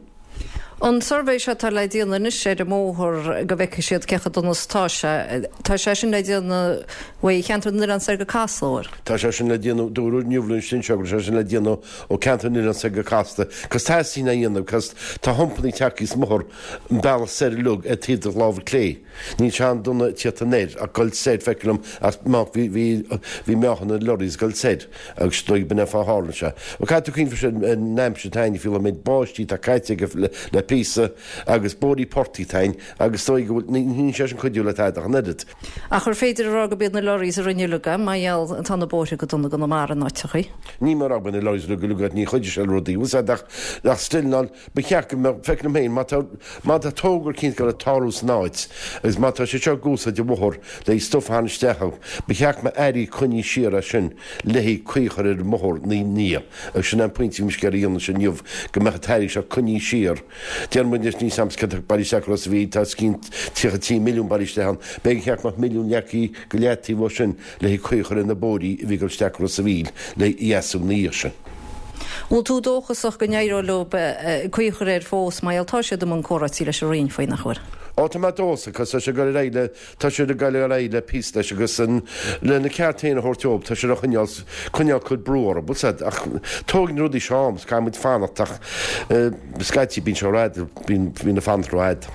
An suirbhé seo atá le déanamh anois ar an mbóthar go bhfeicfidh siad cé chomh dona is atá sé, tá sé sin le déanamh uaidh Cheantar na nOileán soir go Casla, an bhfuil?
Tá sé sin le déanamh, dúradh inniu linn sin seo go raibh sé sin le déanamh ó Ceantar na nOileán soir go Casla. Cos teastaíonn é a dhéanamh cos tá humpannaí tagtha sa mbóthar an bealach soir uilig ar taobh do láimhe clé. Níl sé an-dona ag tíocht anoir ach goil soir, feictear liom, ach má bhí, bhí, bhí meáchan na lorries ag goil soir agus is dóigh b'in é fáth tharla sé. Bhuel, caithfidh tú cuimhneamh freisin ar an aimsir atá againn faoi láthair, méid báistí atá caite aige le, le píosa agus bóithrí portaigh atá againn agus is dóigh go bhfuil, ní, níl sé sin cuidiú le tada ach an oiread.
Ach ar féidir a rá go b'iad na lorries a rinne uilig é, mar gheall tá na bóithre go dona i gConamara in áiteachaí?
Ní mar a rá go b'in na lorries uilig uilig, ní chuidigh sé le rudaí, bhfuil 's a'd ach, ach still ná, Ba cheart go mbeadh, feictear liom féin, má tá, má tá togra eicínt ag dul ag tarlú san áit agus má tá sé seo ag úsáid an bhóthar le stuif a tharraingt isteach ann, ba cheart go mbeadh airí coinnithe siar as sin le haghaidh caoi a chur ar an mbóthar ina ndiaidh. Agus sin é an pointe a bhí mise ag iarraidh a dhéanamh ansin inniu, go mbeadh an t-airgead seo coinnithe siar. Déarfaidh muid anois, níl 's a'm céard atá bailithe isteach go Ros a' Mhíl, tá os cionn 33 milliún bailithe isteach ann, b'fhéidir gur cheart go mbeadh milliún leagtha go leataobh ó sin le haghaidh caoi a chur ar na bóithrí a bhí ag dul isteach go Ros a' Mhíl le dheasú ina dhiaidh sin.
Bhfuil tú dóchasach go n-éireoidh leo caoi a chur air fós mar gheall tá siad i mbun comhráití leis an Roinn faoi, nach bhfuil?
Ó tá mé dóchasach, cos tá sé ag dul ar aghaidh le, tá siad ag dul ar aghaidh le píosa leis agus an, lena ceart féin a thabhairt dóibh, tá siad á choinneáil, coinneáil cur brú orthu, bhfuil 's a'd, ach tógann na rudaí seo am, caithfidh muid fanacht ach scaití bíonn sé rófhada, bíonn, bíonn an fanacht rófhada.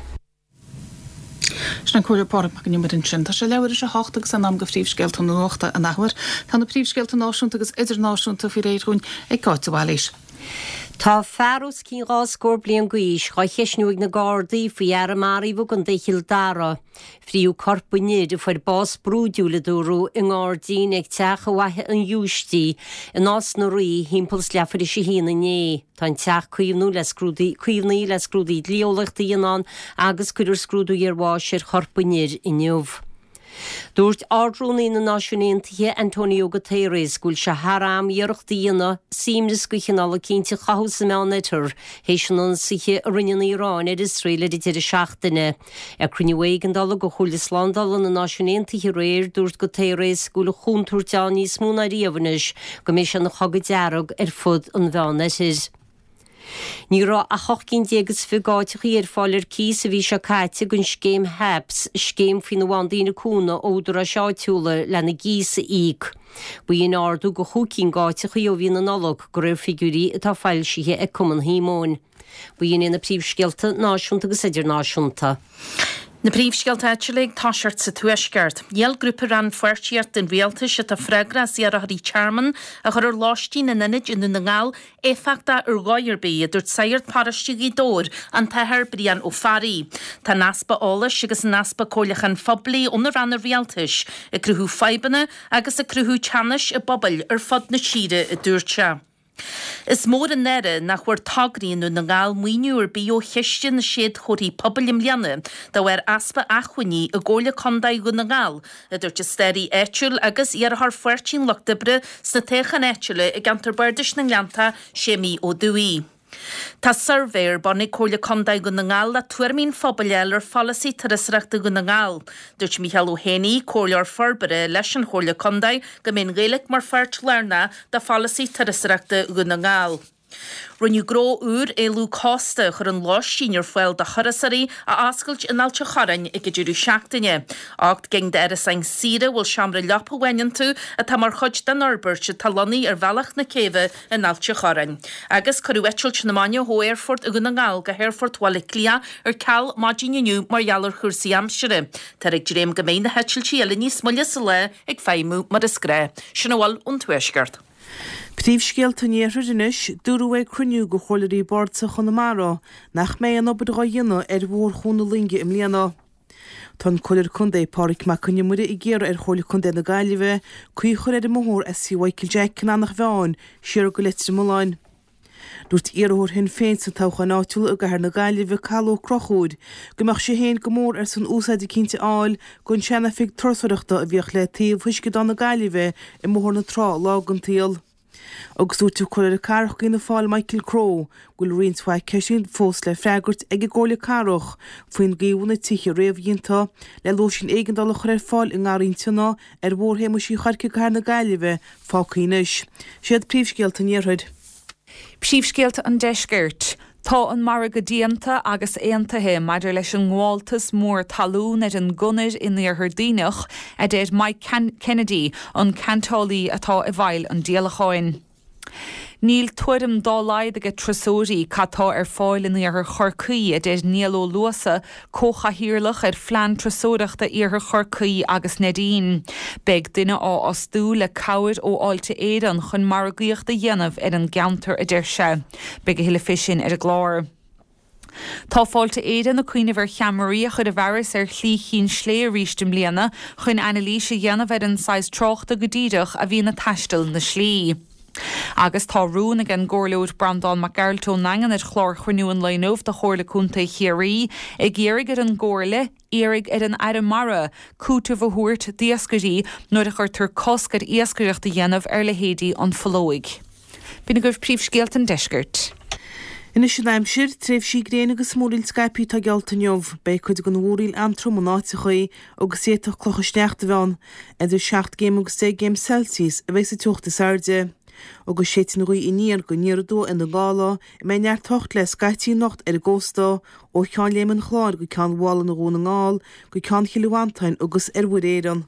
Sin an Comhairleoir Pádraig Mac an Iomaire ansin. Tá sé leathuair théis a hocht agus in am do phríomhscéalta na nuachta an athuair. Tá na príomhscéalta náisiúnta agus idirnáisiúnta faoi réir dhúinn ag Cáit de Bhailís.
Tá fear os cionn 20 scór bliain d'aois dhá cheistniú ag na Gardaí faoi fhear a maraíodh i gContae Chill Dara. Fríodh corp an fhir, a fuair bás brúidiúil a dúradh, i ngairdín ag teach i bhFaiche an Ghiúistí i Nás na Rí thimpeall is leathuair théis a haon inné. Tá an teach caomhnú le scrúdaí, caomhnaithe le scrúduithe dlí-eolaíochta a dhéanamh ann agus cuirfear scrúdú iarbháis ar chorp an fhir inniu. Dúirt Ard-Rúnaí na Náisiún Aontaithe, Antonio Guterres, go bhfuil sé thar am iarracht a dhéanamh suaimhneas de chineál eicínt a chothú sa Meánoirthear théis an ionsaithe a rinne an Iaráin ar Iosrael ar an deireadh seachtaine. Ag cruinniú éigeandála de Chomhairle Slándála na Náisiún Aontaithe aréir, dúirt Guterres go bhfuil an chontúirt ann níos mó ná riamh anois go mbeidh sé ina chogadh dearg ar fud an Mheánoirthir. Ní raibh ach 18 gcinn is 20 d'áiteachaí ar fáil ar cíos an mhí seo caite don scéim HAPS, scéim faoina bhfaigheann daoine cúnamh ó údaráis áitiúla lena gcíos a íoc. B'in ardú de chúig cinn d'áiteachaí ó mhí na Nollag, de réir figiúirí atá foilsithe ag Cumann Shíomóin. B'in iad na príomhscéalta náisiúnta agus idirnáisiúnta.
Na príomhscéalta áitiúla ag toiseacht sa Tuaisceart. Níl grúpa rannpháirtíochta an Rialtais atá freagrach as iarrthóirí tearmainn a chur ar lóistín in ionaid i nDún na nGall éifeachtach ar dhóigh ar bith, a dúirt Sagart Paróiste Ghaoth Dobhair, an tAthair Brian Ó Fearraigh. Tá an easpa eolais agus an easpa comhairliúcháin phoiblí ó na ranna rialtais ag cruthú fadhbanna agus ag cruthú teannais i bpobail ar fud na tíre, a dúirt sé. Is mór an náire nach bhfuair tograí i nDún na nGall maoiniú ar bith ó Chiste na Séadchomharthaí Pobail i mbliana de bharr easpa acmhainní i gComhairle Contae Dhún na nGall, a dúirt an staraí áitiúil agus iarrthóir Pháirtí an Lucht Oibre sna toghcháin áitiúla i gceantar Bardais na nGleanntach, Séimí Ó Dubhthaigh. Tá suirbhé ar bun ag Comhairle Contae Dhún na nGall le tuairimí an phobail a fháil ar pholasaí turasóireachta Dhún na nGall. Dúirt Mícheál Ó hÉanaí, Comhairleoir Forbartha leis an Chomhairle Contae, go mbeidh an Ghaeilge mar pháirt lárnach de pholasaí turasóireachta Dhún na nGall. Rinneadh gnó úr éalú cósta a chuireann lóistín ar fáil do thurasóirí a oscailt in Ailt an Chorráin ag an deireadh seachtaine. 8 gcinn d'árasáin saoire a bhfuil seomra leapa amháin iontu atá mar chuid den fhorbairt atá lonnaithe ar Bhealach na Céibhe in Ailt an Chorráin. Agus cuireadh eitilt na maidine ó Aerfort Dhún na nGall go hAerfort Bhaile Átha Cliath ar ceal maidin inniu mar gheall ar chúrsaí aimsire. Táthar ag dréim go mbeidh na heitiltí eile níos moille sa lá ag feidhmiú mar is gnáth. Sin a bhfuil ón Tuaisceart.
Príomhscéalta an Iarthair anois, dúradh ag cruinniú de chomhairleoirí Bardasach Chonamara nach mbeidh aon obair dhá dhéanamh ar Bhóthar Chuan na Loinge i mbliana. Tá an Comhairleoir Contae, Pádraig Mac Con Iomaire ag iarraidh ar Chomhairle Contae na Gaillimhe caoi a chur ar an mbóthar as Tí Mhichael Jack in Eanach Mheáin siar go Leitir Mealláin. Dúirt iarrthóir Shinn Féin sna toghcháin áitiúla i gcathair na Gaillimhe, Cathal Ó Conchúir, go mbeadh sé féin go mór ar son úsáid eicínt a fháil don sean-oifig turasóireachta a bhíodh le taobh Uisceadán na Gaillimhe i mBóthar na Trá lá den tsaol. Agus dúirt an Comhairleoir Cathrach d'Fhianna Fáil Michael Crowe go bhfuil roinnt mhaith ceisteanna fós le freagairt ag an gComhairle Cathrach faoin gcaoi a bhfuil na tithe réamhdhéanta le lóistín éigeandála a chur ar fáil i nGarraí an tSionnaigh ar Bhóthar Shéamuis Uí Chorcaigh i gCathair na Gaillimhe fágtha anois. Siad príomhscéalta an Iarthair.
Príomhscéalta an Deiscirt. Tá an margadh déanta agus aontaithe maidir leis an ngabháltas mór talún ar an gconair in Iarthar Duibhneach, a deir Mike Kennedy, an ceantálaí atá i bhfeighil an díolacháin. Níl tuairim dá laghad ag turasóirí cad tá ar fáil in iarthar Chorcaí, a deir Niall Ó Luasa, comhchathaoirleach ar Phlean Turasóireachta Iarthar Chorcaí agus Neidín. Beidh duine á fhostú le cabhair ó Fháilte Éireann chun margaíocht a dhéanamh ar an gceantar, a deir sé. Beidh a thuilleadh fé sin ar an gclár. Tá Fáilte Éireann ag cuimhneamh ar cheamaraí a chur i bhfearas ar Shlí Chinn Slé arís i mbliana chun anailís a dhéanamh ar an saghas tráchta go díreach a bhíonn ag taisteal na slí. Agus tá rún ag an gComhairleoir Breandán Mac Gearailt ón nDaingean ar chlár chruinniú an lae inniu de Chomhairle Contae Chiarraí ag iarraidh ar an gComhairle iarraidh ar an Aire Mara cúiteamh a thabhairt d'iascairí nuair a chuirtear cosc ar iascaireacht a dhéanamh ar leithéidí an pholóig. B'in agaibh príomhscéalta an deiscirt.
Anois an aimsir, tréimhsí gréine agus múraíl scaipthe atá geallta inniu. Beidh cuid den mhúraíl an-trom in áiteachaí agus d'fhéadfadh clocha sneachta a bheith ann. Idir 7 gcéim agus 10 gcéim Celsius a bheidh sa teocht is airde. Agus séidfidh an ghaoth aniar go aniar aduaidh i nDún Gall, a mbeidh neart tocht le scaití anocht ar an gcósta, ó Cheann Léim an Chláir go Ceann Mhálanna Dhún na nGall go Ceann Chill Mhantáin agus ar Mhuir Éireann.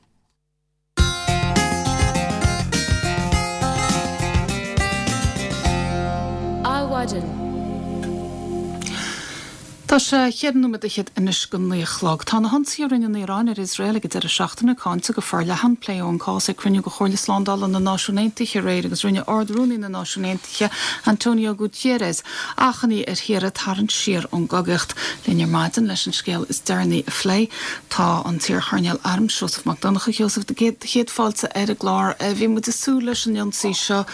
Adhmhaidin. Tá sé cheithre nóiméad fhichead anois go naoi a chlog. Tá na hionsaithe a rinne an Iaráin ar Iosrael ag an deireadh seachtaine cáinte go forleathan. Pléadh an cás ag cruinniú de Chomhairle Slándála na Náisiún Aontaithe aréir agus rinne Ard-Rúnaí na Náisiún Aontaithe, Antonio Guterres, achainí ar thíortha tarraingt siar ón gcogaíocht. Linn ar maidin leis an scéal is deireanaí a phlé tá an t-iarchoirnéal airm Seosamh Mac Donncha. A Sheosaimh, do chéad fáilte ar an gclár. Bhí muid ag súil leis an ionsaí seo.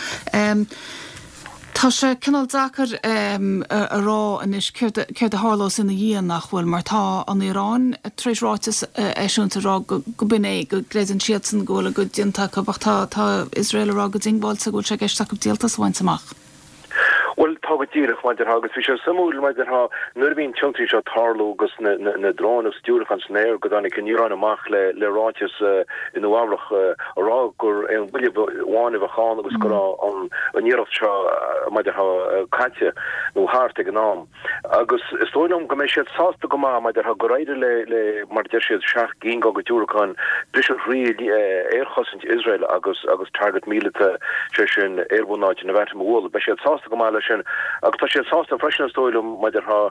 Tá sé cineál deacair a rá anois céard a tharlós ina dhiaidh, nach bhfuil, mar tá an Iaráin tar éis ráiteas a eisiúint ag rá go b'in é, go gcreideann siadsan go bhfuil a gcuid déanta acu ach tá Iosrael ag rá go diongbháilte go bhfuil sé i gceist acu díoltas a bhaint amach.
Bhuel, tá go díreach, mar a déarfá, agus bhí sé suimiúil, mar a déarfá, nuair a bhí an t-ionsaí seo ag tarlú agus na dróin agus diúracáin san aer go dtáinig an Iaráin amach le ráiteas i Nua Eabhrach a rá gur aon bhuille amháin a bheadh ann agus go raibh an iarracht seo, mar a déarfá, caite nó thart ag an am. Agus is dóigh liom go mbeidh siad sásta go maith, mar a déarfá, gur éirigh le, le, mar a deir siad, 7 gcinn dá gcuid diúracán briseadh thrí aerchosaint Iosrael agus, agus target míleata, sé sin, aerbhunáite Nevatim a bhualadh. Beidh siad sásta go maith leis sin. Agus tá siad sásta freisin, is dóigh liom, mar a déarfá,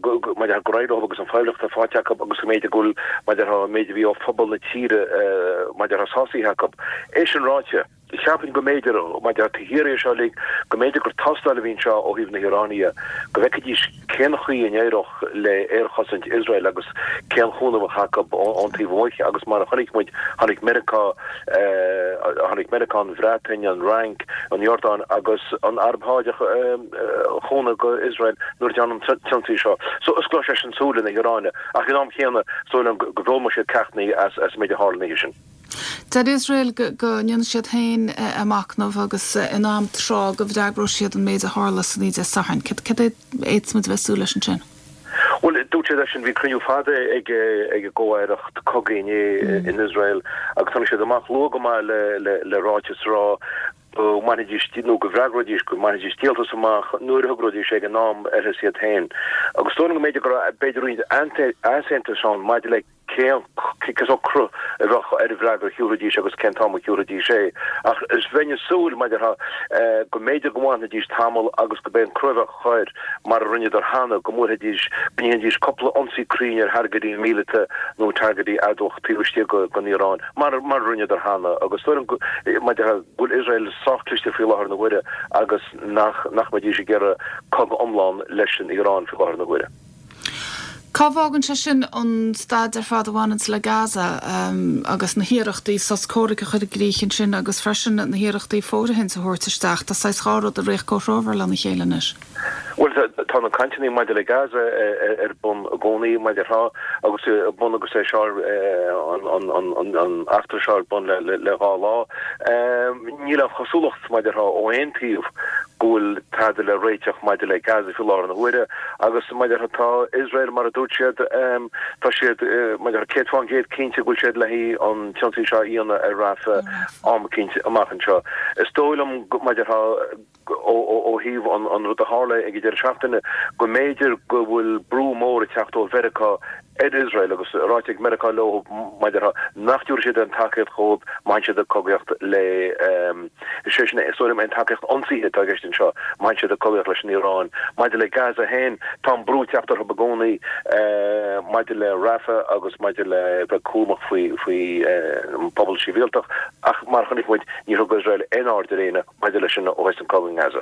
go, go, mar a déarfá, gur éirigh leo agus an phoiblíocht atá faighte acu agus go mb'fhéidir go bhfuil, mar a déarfá, an méid a bhí ó phobal na tíre, mar a déarfá, sásaithe acu. É sin ráite. Cheapfainn go mb'fhéidir, mar a déarfá, taobh thiar dhe seo uilig, go mb'fhéidir gur tástáil a bhí anseo ó thaobh na hIaráine dhe, go bhfeicfidís cén chaoi a n-éireodh le aerchosaint Iosrael agus cén chúnamh a bheadh acu ón taobh amuigh agus mar a chonaic muid, tháinig Meiriceá, tháinig Meiriceá, an Bhreatain, an Fhrainc, an Iordáin agus an Araib Sháideach chúnamh go Iosrael nuair a dearnadh an t-ionsaí seo. So osclóidh sé sin súile na hIaráine ach ag an am chéanna, is dóigh liom go bhfoghlaimeoidh siad ceachtanna as an méid a tharla an oíche sin.
Deir Iosrael go ndéanfaidh siad féin a machnamh agus in am tráth go bhfreagróidh siad an méid a tharla san oíche Dé Sathairn. Céard a fhéadfas muid a bheith ag súil leis ansin?
Bhuel, dúirt siad eisean, bhí cruinniú fada ag an gcomh-aireacht cogaidh inné in Iosrael agus tháinig siad amach luath go maith le ráiteas a rá go mbainfidís, nó go bhfreagróidís, go mbainfidís díoltas amach nuair a thogróidís ag an am orthu iad féin. Agus is dóigh liom go mb'fhéidir go raibh, b'fhéidir roinnt easaontais ann maidir le cén sórt cruth a bheadh ar an bhfreagra a thiúrfaidís agus cén t-am a thiúrfaidís é. Ach is bheinn ag súil, mar a déarfá, go mb'fhéidir go bhfanfaidís tamall agus go b'é an cruth a bheadh air, mar a rinneadar cheana, go mbuailfidís, go ndéanfaidís cúpla ionsaí cruinn ar thargaidí míleata nó targaidí adamhach taobh istigh den Iaráin, mar a rinneadar cheana. Agus is dóigh liom, mar a déarfá, go bhfuil Iosrael sách cliste faoi láthair na huaire agus nach mbeidís ag iarraidh cogadh iomlán leis an Iaráin faoi láthair na huaire.
Cá bhfágann sé sin an staid ar fad a bhaineanns le Gaza agus na hiarrachtaí sos comhraic a chur i gcrích ansin agus freisin na hiarrachtaí fóirithint a thabhairt isteach? Tá saghas dhá rud ag rith comhthreomhar lena chéile anois.
Bhuel, tá na cainteanna maidir le Gaza ar bun i gcónaí, mar a déarfá, agus bun agus é seo an eachtra seo ar bun le dhá lá. Níl aon chosúlacht, mar a déarfá, ó aon taobh go bhfuil tada le réiteach maidir le Gaza faoi láthair na huaire agus, mar a déarfá, tá Iosrael, mar a dúirt siad, tá siad, mar a déarfá, 100% cinnte go bhfuil siad le haghaidh an t-ionsaí seo a dhéanamh ar Rafah am eicínt amach anseo. Is dóigh liom, mar a déarfá, ó thaobh an rud a tharla ag an deireadh seachtaine, go mb'fhéidir go bhfuil brú mór ag teacht ó Mheiriceá ar Iosrael agus ráite ag Meiriceá leo, mar a déarfá, nach dtabharfaidh siad aon tacaíocht dhóibh má théann siad ag cogaíocht le, is é sin, is dóigh liom, aon tacaíocht ionsaithe atá i gceist anseo, má théann siad ag cogaíocht leis an Iaráin. Maidir le Gaza féin, tá an brú ag teacht orthu i gcónaí maidir le Rafah agus maidir le bheith cúramach faoi faoi an pobal sibhialtach ach mar a chonaic muid, níor thug Iosrael aon aird ar éinne. maidir leis sin ó thosaigh an cogadh i nGaza.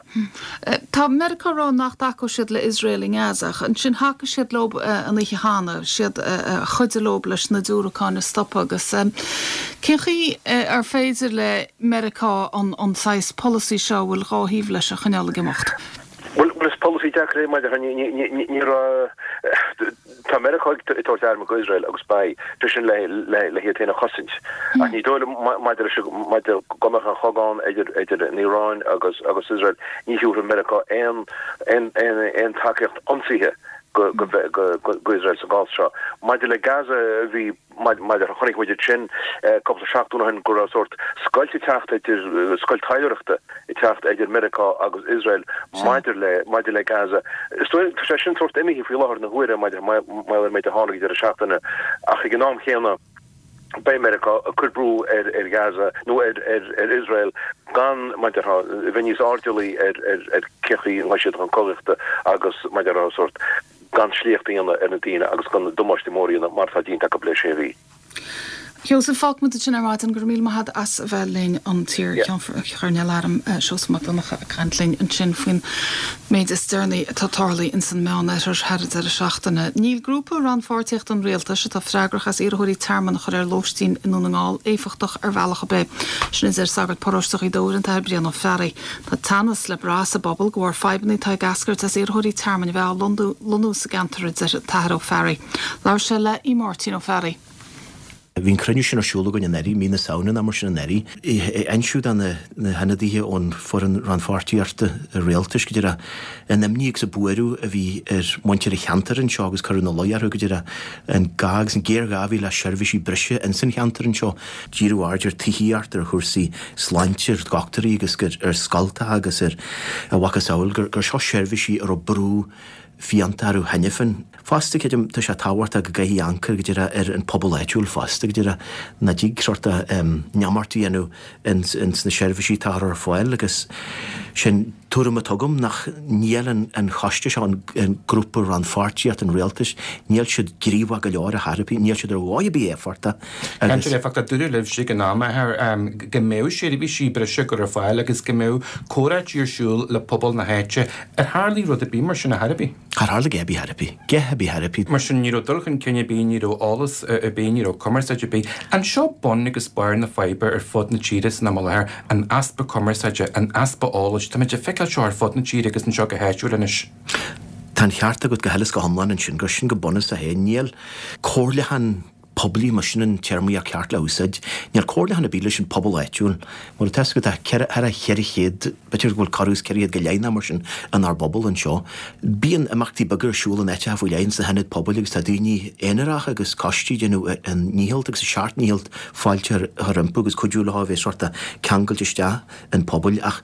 Tá Meiriceá ag rá nach dtacóidh siad le Iosrael i nGaza ach ansin thacaigh siad leo an oíche cheana, siad a chuidigh leo leis na diúracáin a stopadh agus cén chaoi ar féidir le Meiriceá an saghas polasaí seo a bhfuil dhá thaobh leis a choinneáil ag imeacht?
Bhuel, is polasaí deacair é maidir le, ní raibh, tá Meiriceá ag tabhairt airm go Iosrael agus beidh, sé sin le le hiad féin a chosaint. Ach ní dóigh liom maidir leis, maidir go mbeadh an chogadh ann idir idir an Iaráin agus agus Iosrael, ní thiúrfaidh Meiriceá aon aon aon aon tacaíocht ionsaithe go go go go Iosrael sa gcás seo. Maidir le Gaza, bhí Maidir, chonaic muid ansin cúpla seachtain ó shin go raibh sórt scoilt ag teacht idir, scoilt taidhleoireachta ag teacht idir Meiriceá agus Iosrael maidir le, maidir le Gaza. Is dóigh, tá sé sin sórt imithe faoi láthair na huaire maidir, mar gheall ar an méid a tharla ag deireadh seachtaine ach ag an am chéanna beidh Meiriceá ag cur brú ar, ar Gaza nó ar, ar, ar Iosrael gan, mar a déarfá, a bheith níos airdeallaí ar, ar, ar cén chaoi a ngabhfaidh siad chun cogaíochta agus, mar a déarfá, sórt. gan sléacht a dhéanamh ar na daoine agus gan damáiste mór a dhéanamh mar atá déanta acu le sé mhí.
Sheosaimh, fágfaimid ansin ar maidin. Go raibh míle maith agat as a bheith linn, an t-iar-Cheann Airm, Seosamh Mac Donncha ag caint linn ansin faoin méid is deireanaí atá tarlaithe ins an Meánoirthear thar an deireadh seachtaine. Níl grúpa rannpháirtíochta an Rialtais atá freagrach as iarrthóirí tearmainn a chur ar lóistín i nDún na nGall éifeachtach ar bhealach ar bith. Sin a deir sagart paróiste Ghaoth Dobhair, an tAthair Brian Ó Fearraigh. Tá teannas le brath sa bpobal de bharr fadhbanna atá ag eascairt as iarrthóirí tearmainn a bheith á lonnú sa gceantar, a deir an tAthair Ó Fearraigh. Labhair sé le Aodh Máirtín Ó Fearraigh.
Bhí an cruinniú sin ar siúl againn anuraidh, mí na Samhna nó mar sin anuraidh. Insíodh do na hionadaithe ón Foireann Rannpháirtíochta Rialtais go díreach an imní agus an buaireamh a bhí ar mhuintir an cheantair anseo agus cuireadh ina luí orthu go díreach an gá agus an géarghá a bhí le seirbhísí breise ins an cheantar anseo. Díriodh aird ar tithíocht, ar chúrsaí sláinte, ar dhochtúirí agus ar scoltacha agus ar a mhacasamhail gur seo seirbhísí a raibh brú fiánta orthu cheana féin. Fosta, creidim, tá sé tábhachtach go gcaithfí amharc go díreach ar an pobal áitiúil fosta, go díreach nach dtig sórt neamart a dhéanamh ins na seirbhísí atá ar fáil agus sin tuairim atá agam nach níl an choiste seo, an grúpa rannpháirtíocht an rialtais, níl siad gníomhach go leor ar chor ar bith, níl siad ar dhóigh ar bith éifeachtach
agus. Cainteoir éifeachtach, dúradh libhse ag an am, a Athair, go mbeadh seirbhísí breise á gcur ar fáil agus go mbeadh comhráití ar siúl le pobal na háite. Ar tharlaigh rud ar bith mar sin ar chor ar bith?
Char tharla a dhath ar bith ar bith. A dhath ar bith ar bith.
Mar sin, ní raibh dul chun cinn ar bith, ní raibh eolas ar bith, ní raibh cumarsáid ar bith. An seo bun agus barr na faidhbe ar fud na tíre san am i láthair, an easpa cumarsáide, an easpa eolais? Táimid ag feiceáil seo ar fud na tíre agus anseo go háitiúil anois.
Tá an cheart agat go huile is go hiomlán ansin, gur sin go bunúsach é. Níl comhairliúchán poiblí, más sin an téarmaíocht cheart le húsáid. Níl comhairliúchán ar bith leis an pobal áitiúil. Mar atá fhios agat, tá thar 400, b'fhéidir go bhfuil corradh is 400 go leith nó mar sin inár bpobal anseo. Bíonn imeachtaí beaga ar siúl in áiteacha faoi leith, ins na hionaid pobail agus tá daoine aonaracha agus coistí ag déanamh a ndícheall agus a seacht ndícheall fáilte a chur rompu agus cuidiú leo a bheith sórt ceangailte isteach an pobail ach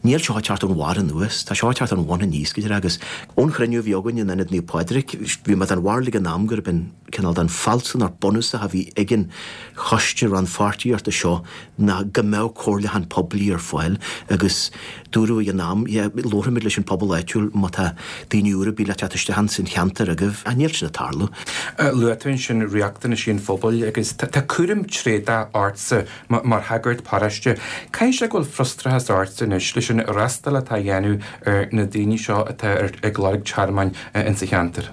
níl seo ag teacht ón bharr anuas, tá seo ag teacht ón bhun aníos go díreach agus ón chruinniú a bhí againn in Ionad Naomh Pádraig bhí mé den bharúil ag an am gurb in cineál den fealsúnacht bunúsach. bunúsach a bhí ag an choiste rannpháirtíochta seo ná go mbeadh comhairliúchán poiblí ar fáil agus dúradh ag an am, yeah, labharfaimid leis an pobal áitiúil má tá daoine úra ar bith le teacht isteach ins an cheantar agaibh, ach níl sin ag tarlú.
Luaigh tú ansin riachtanaisí an phobail agus tá cúram tréadach ortsa mar shagart paróiste. Caithfidh sé go bhfuil frustrachas ortsa anois leis an fhreastal atá á dhéanamh ar na daoine seo atá ag lorg tearmainn insa cheantar.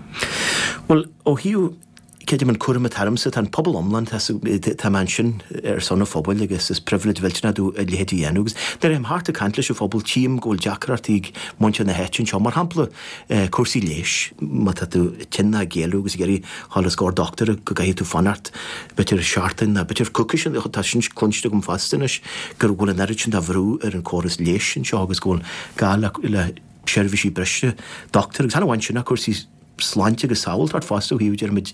Bhuel, ó thaobh Creidim an cúram atá ormsa, tá an pobal iomlán, tá tá mé ansin ar son an phobail agus is pribhléid mhillteanach domh a leithéid a dhéanamh agus nuair a théim thart ag caint leis an phobal tchím go bhfuil deacrachtaí ag muintir na háite anseo, mar shampla cúrsaí leighis, má tá tú tinn nó ag éalú agus ag iarraidh dhul os comhair dochtúra go gcaithfidh tú fanacht b'fhéidir seachtain nó b'fhéidir coicís, tá sin cluinste agam fosta anois go bhfuil an oiread sin de bhrú ar an córas leighis anseo agus go bhfuil gá le le seirbhísí breise dochtúir agus chan amháin sin ach cúrsaí sláinte agus sábháilteacht fosta ó thaobh, déarfaimid,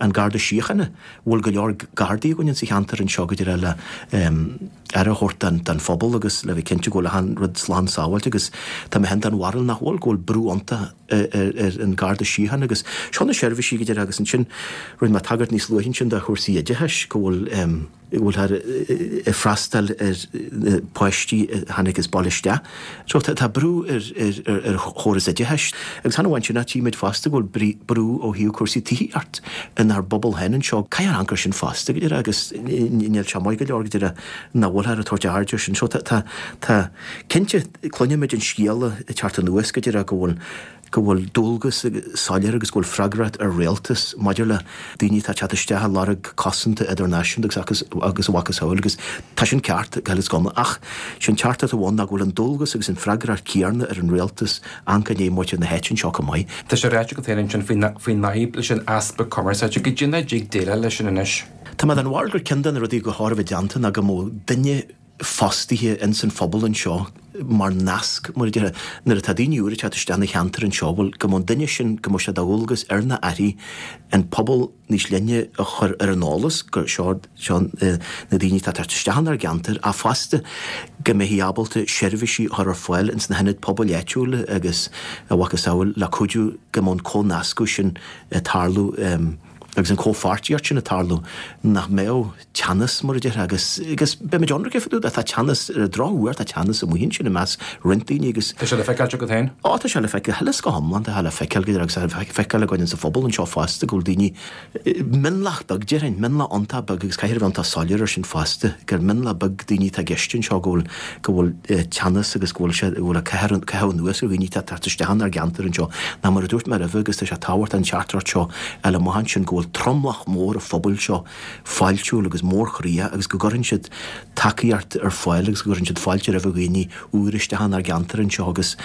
an Garda Síochána. Bhfuil go leor Gardaí againn insa cheantar anseo go díreach le aire a thabhairt don phobal agus le bheith cinnte go bhfuil achan rud slán sábháilte agus tá mé féin den bharúil nach bhfuil, go bhfuil brú iontach ar an Garda Síochána agus seo na seirbhísí go díreach agus ansin rinne mé tagairt níos luaithe ansin do chúrsaí oideachais go bhfuil bhfuilthear ag freastal ar na páistí a tháinig as baile isteach. So tá brú ar ar chóras oideachais agus chan amháin sin ach tchímid fosta go bhfuil brú ó thaobh cúrsaí tithíocht inár bpobal féin anseo. Caithfear amharc air sin fosta go díreach agus níl sé maith go leor go díreach nach bhfuilthear ag tabhairt aird air sin. So tá tá cinnte cluinimid an scéala ag teacht anuas go díreach go bhfuil go bhfuil dualgas soiléir agus go bhfuil freagracht ar rialtas maidir le daoine atá ag teacht isteach ag lorg cosanta idirnáisiúnta agus agus a mhacasamhail agus tá sin ceart go huile is go hiomlán ach sé an teachtaireacht amháin ná go bhfuil an dualgas agus an freagracht céanna ar an rialtas amharc i ndiaidh muintir na háite anseo chomh maith.
Tá sé ráite agat féin ansin faoin fhadhb leis an easpa cumarsáide. Goidé mar a dtig déileáil leis sin anois?
Tá mé den bharúil gur ceann de na rudaí gur chóir a bheith déanta ná go mbeadh duine fostaithe ins an phobal anseo mar nasc, mar a déarfá, nuair atá daoine úra ag teacht isteach ina cheantar anseo, bhuel, go mbeadh an duine sin, go mbeadh sé de dhualgas ar na airí an pobal níos leithne a chur ar an eolas gur seo, seo na daoine atá ag teacht isteach inár gceantar ach fosta go mbeifí ábalta seirbhísí a chur ar fáil ins na hionaid pobail áitiúla agus a mhacasamhail le cuidiú go mbeadh an comhnascadh sin ag tarlú agus an comhpháirtíocht sin ag tarlú, nach mbeadh teannas, mar a déarfá, agus, agus beimid ionraic fá dtaobh de, tá teannas, ar an drochuair, tá teannas amuigh ansin i measc roinnt daoine agus.
Tá sé le feiceáil agat féin?
Ó, tá sé le feiceáil, go huile is go hiomlán, tá sé le feiceáil go agus tá sé le feiceáil againn sa phobal anseo fosta go bhfuil daoine, mionlach beag déarfainn, mionlach iontach beag agus caithfear a bheith iontach soiléir ar sin fosta, gur mionlach beag daoine atá i gceist anseo go bhfuil, go bhfuil teannas agus go bhfuil sé, go bhfuil ag caitheamh anuas ar dhaoine atá ag teacht isteach inár gceantar anseo. Ná mar a dúirt mé roimhe agus tá sé tábhachtach an teachtaireacht seo a fháil amach ansin go bhfuil tromlach mór an phobail seo fáiltiúil agus mórchroíoch agus go gcuireann siad tacaíocht ar fáil agus go gcuireann siad fáilte roimh dhaoine úra isteach inár gceantar anseo agus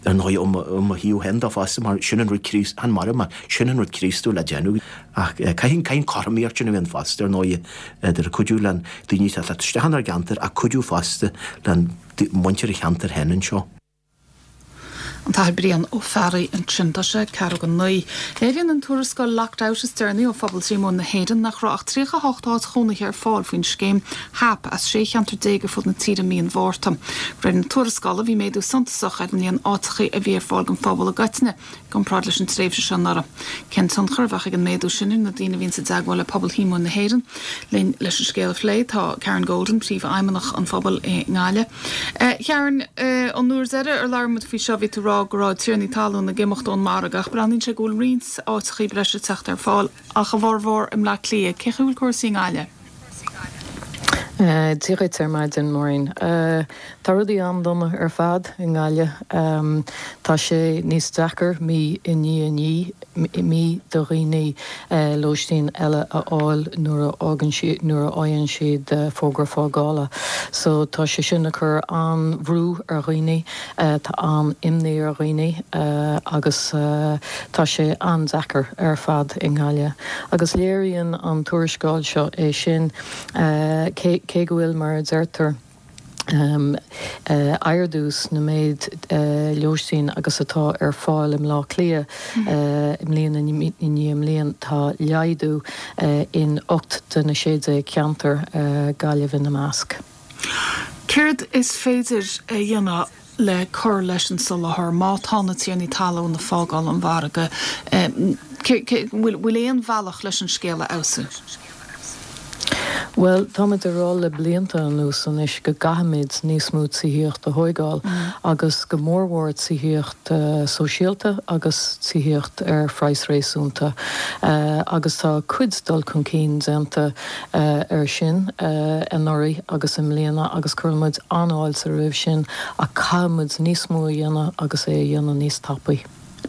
ar ndóigh ó mo thaobh féin de fosta mar sin an rud Críost, chan mar mar sin an rud Críostúil le déanamh. Ach caithfidh an cothromaíocht sin a bheith ann fosta, ar ndóigh, idir cuidiú le daoine atá ag teacht isteach inár gceantar ach cuidiú fosta le muintir an cheantair féin anseo.
An tAthair Brian Ó Fearraigh ansin. Tá sé ceathrú go 9. Léiríonn an tuarascáil Locked Out is deireanaí ó Phobal Shíomóin na hÉireann nach raibh ach 38 áit chónaithe ar fáil faoin scéim HAP as 16 cheantar ar fud na tíre mí an Mhárta. De réir na tuarascála, bhí méadú suntasach ar an líon áiteachaí a bhí ar fáil don phobal i gcoitinne, i gcomparáid leis an tréimhse seo anuraidh. Cén tionchar a bheadh ag an méadú sin ar na daoine a bhíonns i dteagmháil le Pobal Shíomóin na hÉireann? Linn leis an scéal a phlé tá Karen Golden, Príomhfheidhmeannach an phobail i nGaillimh. A Karen, an uair deiridh ar labhair muid faoi seo bhí tú ag rá go raibh tiarnaí talún ag imeacht ón margadh ach breathnaíonn sé go bhfuil roinnt áiteachaí breise ag teacht ar fáil ach a bhformhór i mBleá Cliath. Cén chaoi a bhfuil cúrsaí i nGaillimh?
Dia dhuit ar maidin, Maureen. Tá rudaí an-dona ar fad i nGaillimh. Tá sé níos deacair mí i ndiaidh mí do dhaoine lóistín eile a fháil nuair a fhágann siad, nuair a fhaigheann siad fógra fágála. So tá sé sin ag cur an-bhrú ar dhaoine, tá an-imní ar dhaoine agus tá sé an-deacair ar fad i nGaillimh. Agus léiríonn an tuarascáil seo é sin, cé go bhfuil, mar a deirtear, ardú sna méid lóistín agus atá ar fáil i mBleá Cliath bliain i ndiaidh bliain, tá laghdú in 8 de na 16 ceantar, Gaillimh ina measc.
Céard is féidir a dhéanamh le cur leis an soláthar má tá na tiarnaí talún ag fágáil an mhargaidh? Bhfuil aon bhealach leis an scéal a fheabhsú?
Bhuel, táimid ag rá le blianta anuas anois go gcaithfimid níos mó tithíocht a thóigeáil agus go mórmhór tithíocht sóisialta agus tithíocht ar phraghas réasúnta agus tá cuid dul chun cinn déanta ar sin anuraidh agus i mbliana agus cuireann muid an-fháilte roimh sin ach caithfidh muid níos mó a dhéanamh agus é a dhéanamh níos tapaí.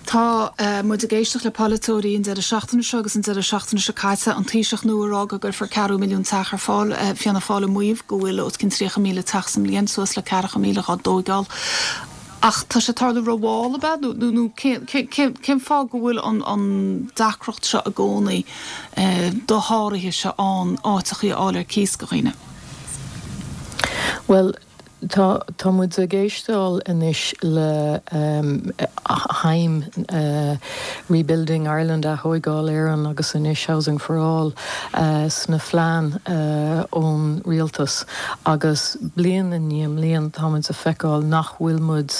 Tá muid ag éisteacht le polaiteoirí an deireadh seachtaine seo agus an deireadh seachtaine seo caite, an Taoiseach nua ag rá go gcuirfear ceathrú milliún teach ar fáil, Fianna Fáil ag maíomh go bhfuil os cionn 30,000 teach sa mbliain, suas le ceathracha míle dhá dtóigeáil. Ach tá sé ag tarlú rómhall, ab ea? Nó cén fáth go bhfuil an deacracht seo i gcónaí dosháraithe seo ann áiteachaí a fháil ar cíos do dhaoine?
Bhuel, Tá, tá muid ag éisteáil anois le haidhm Rebuilding Ireland, Athóigeáil Éireann agus anois Housing for All sna phlean ón rialtas agus bliain i ndiaidh mbliain tá muid ag feiceáil nach bhfuil muid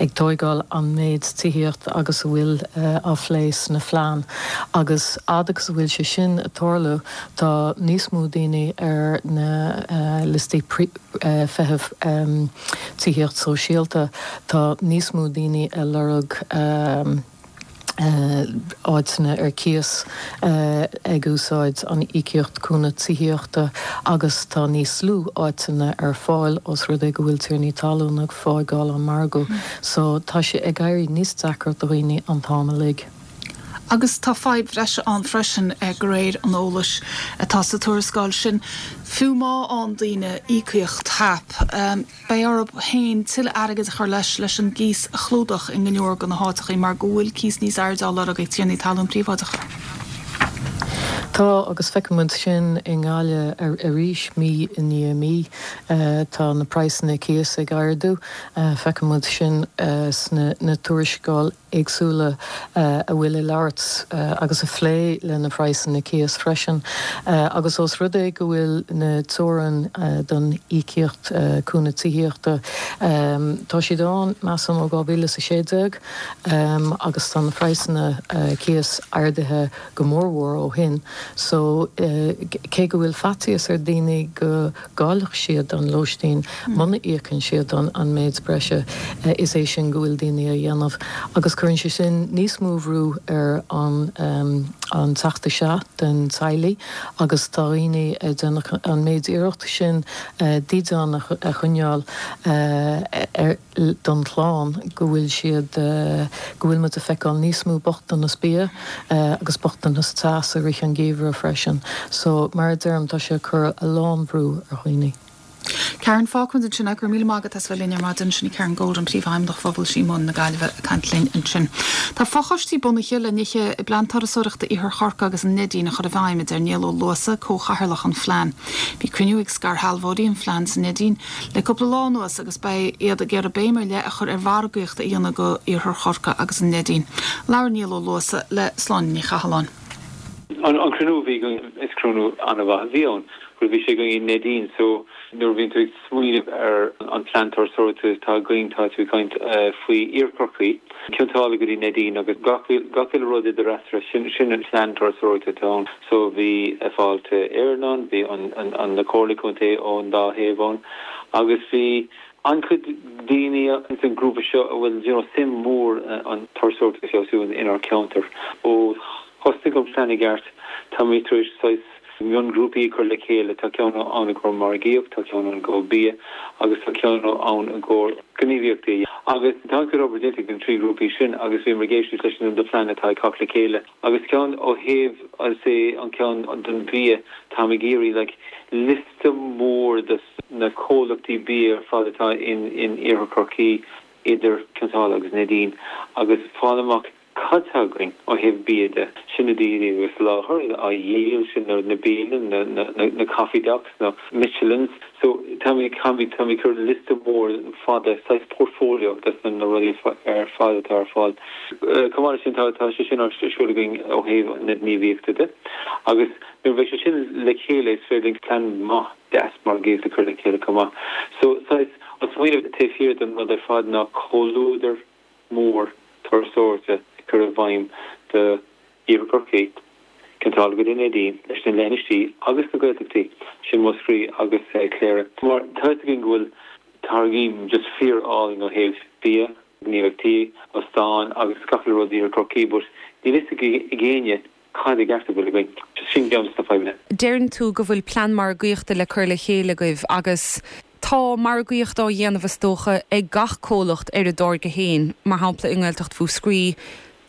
ag tóigeáil an méid tithíocht agus a bhfuil á phlé sna phlean agus fhad agus a bhfuil sé sin ag tarlú Tá níos mó daoine ar na liostaí feithimh tithíocht sóisialta. Tá níos mó daoine ag lorg áiteanna ar cíos ag úsáid an íocaíocht cúnamh tithíochta agus tá níos lú áiteanna ar fáil os rud é go bhfuil tiarnaí talún ag fágáil an margadh. So tá sé ag éirí níos deacra do dhaoine an t-am uilig.
Agus tá fadhb bhreise ann freisin, de réir an eolais atá sa tuarascáil sin. Fiú má fhaigheann daoine íocaíocht HAP, beidh orthu féin tuilleadh airgid a chur leis leis an gcíos a chlúdach i go leor de na háiteachaí mar go bhfuil cíos níos airde á lorg ag tiarnaí talún príobháideacha.
Tá, agus feiceann muid sin i nGaillimh arís mí i ndiaidh mí. Tá na praghsanna cíos ag ardú. Feiceann muid sin sna tuarascáil. éagsúla a bhfuil ag labhairt agus ag phlé le na praghsanna cíos freisin. Agus ós rud é go bhfuil na teorainn don íocaíocht cúnamh tithíochta, tá siad ann, measaim, ó 2016 agus tá na praghsanna cíos ardaithe go mórmhór ó shin. So, cé go bhfuil faitíos ar daoine go. gcaillfeadh siad an lóistín muna íocann siad an méid breise, is é sin go bhfuil daoine a dhéanamh. Agus cuireann sé sin níos mó bhrú ar an an teacht isteach den teaghlaigh agus tá daoine ag déanamh an méid iarracht sin dídean a choinneáil ar don chlann go bhfuil siad, go bhfuil muid ag feiceáil níos mó bochtanas bia agus bochtanas teasa i rith an gheimhreadh freisin. So, mar a deirim, tá sé ag cur a lán bhrú ar dhaoine.
Karen, fágfaimid ansin é. Go raibh míle maith agat as bheith linn ar maidin. Sin í Karen Golden, Príomhfheidhmeannach Phobal Shíomóin na Gaillimhe ag caint linn ansin. Tá fochoistí bunaithe le nithe i bPlean Turasóireachta Iarthar Chorcaí agus an Neidín a chur i bhfeidhm, a deir Niall Ó Luasa, Comhchathaoirleach an Phlean. Bhí cruinniú ag scairshealbhóirí an phlean sa Neidín le cúpla lá anuas agus beidh iad ag iarraidh béim ar leith a chur ar mhargaíocht a dhéanamh go Iarthar Chorcaí agus an Neidín. Labhair Niall Ó Luasa le Sláine Ní Chathalláin.
An cruinniú a bhí againn, is cruinniú an-mhaith a bhí ann. Bhuel, bhí sé againn i Neidín so nuair a bhíonn tú ag smaoineamh ar an plean turasóireachta atá againn, tá tú ag caint faoi Iarthar Chorcaí, Cionn tSáile go dtí Neidín agus gach uile rud idir eatarthu, sin sin an plean turasóireachta atá ann. So bhí Fáilte Éireann ann, bhí an na comhairlí contae ón dá thaobh ann agus bhí an-chuid daoine ins an grúpa seo a bhfuil you know suim mhór an turasóireacht a feabhsú inár ceantar. Ó thosnaigh an plean i gceart táimid tar éis saghas miongrúpaí a chur le chéile, tá ceann ann i gcomhair margaíocht, tá ceann ann i gcomhair bia agus tá ceann ann i gcomhair gníomhaíochtaí. Agus tá an-chuid obair déanta ag na 3 ghrúpaí sin agus bhíomar ag éisteacht leis na plean atá ag cách le chéile. Agus ceann ó thaobh, I'll say, an ceann don bhia, táim ag iarraidh like liosta mór de na comhlachtaí bia ar fad atá in in Iarthar Chorcaí idir Cionn tSáile agus Neidín agus fáil amach cad tá againn ó thaobh bia de, sin na daoine a bhí soláthar á dhíol, sin na bialanna, na na na coffee docks, na Michelins. So táimid táimid táimid ag cur liosta mór fada, saghas portfolio de na rudaí ar fad atá ar fáil. Chomh maith leis sin tá tá sé sin ar siúl againn ó thaobh na gníomhaíochta de agus nuair a bheidh sé sin le chéile is féidir linn plean maith deas margaíochta a chur le chéile chomh maith. So saghas an smaoineamh taobh thiar den rud ar fad ná comhluadar mór turasóireachta a chur i bhfeidhm do Iarthar Chorcaí. Cionn tSáile go dtí Neidín, leis na leithinisí agus na Gaeltachtaí, sin Múscraí agus Cléire. Mar tá fhios againn go bhfuil táirgí just fíor álainn ó thaobh bia, gníomhaíochtaí, óstáin agus gach uile rud in Iarthar Chorcaí but níl fhios ag éinne cad i gceart a bhfuil againn. Just sin ceann de na fadhbanna.
Deireann tú go bhfuil plean margaíochta le cur le chéile agaibh agus tá margaíocht á dhéanamh is dócha ag gach comhlacht ar a dtáirge féin, mar shampla i nGaeltacht Mhúscraí,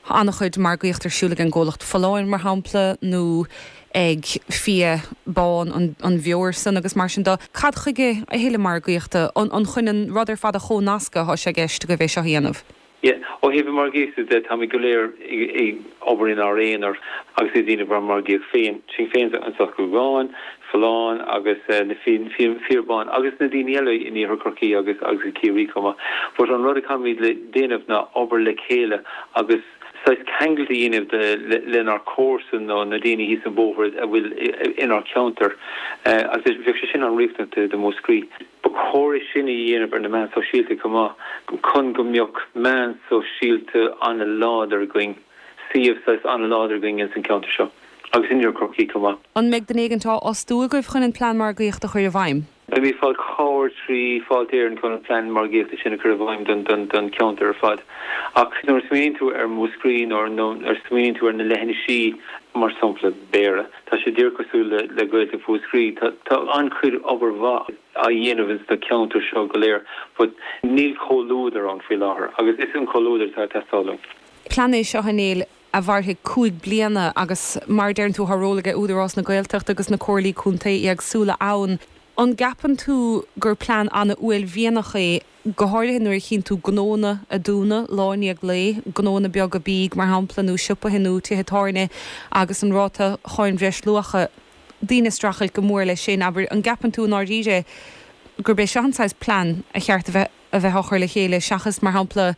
Tá an-chuid margaíocht ar siúl ag an gcomhlacht Folláin, mar shampla, nó ag fia bán an bheoir san agus mar sin de. Cad chuige a thuilleadh margaíochta? An chun an rud ar fad a chomhnascadh atá sé i gceist agaibh é seo a dhéanamh?
Yeah. Ó thaobh na margaíochta de, táimid go léir ag obair inár aonar agus ag déanamh ár margaíocht féin. Sinn féin anseo sa Ghúgán, Folláin agus na fir bán agus na daoine eile in Iarthar Chorcaí agus agus i Ciarraí chomh maith. But an rud a caithfimid le déanamh ná obair le chéile agus saghas ceangailt a dhéanamh de lenár comharsan nó na daoine thíos an bóthar a bhfuil inár ceantar agus bheadh sé sin an-riachtanach do Mhúscraí. Ba chóir é sin a dhéanamh ar na meáin sóisialta chomh maith chun go mbeadh meáin sóisialta an-láidir againn. suíomh saghas an-láidir againn ins an ceantar seo agus in Iarthar Chorcaí chomh maith.
An mbeidh duine éigint á fhostú agaibh chun an plean margaíochta a chur i bhfeidhm?
Beimid ag fáil cabhair trí Fáilte Éireann chun an plean margaíochta sin a chur i bhfeidhm don don cheantar ar fad. Ach nuair a smaoiníonn tú ar Mhúscraí nó nuair a smaoiníonn tú ar na leithinisí, mar sampla Béarra, tá sé díreach cosúil le le Gaeltacht Mhúscraí. Tá tá an-chuid obair mhaith á dhéanamh ins na ceantair seo go léir but níl comhluadar ann faoi láthair agus is an comhluadar atá ag teastáil uainn.
Plean é seo, a Néill, a mhairfidh 5 bliana agus mar a deireann tú tá ról aige Údarás na Gaeltachta agus na Comhairlí Contae éagsúla ann. An gceapann tú gur plean an-uaillmhianach é, go háirithe nuair a chíonn tú gnóanna a dúnadh lá i ndiaidh lae, gnóanna beaga bídh mar shampla nó siopaithe nó tithe tábhairne agus an ráta cháin bhreisluacha, daoine ag streachailt go mór leis sin, abair. An gceapann tú i ndáiríre gurb é seo an saghas plean a cheart a bheith a bheith á chur le chéile seachas, mar shampla,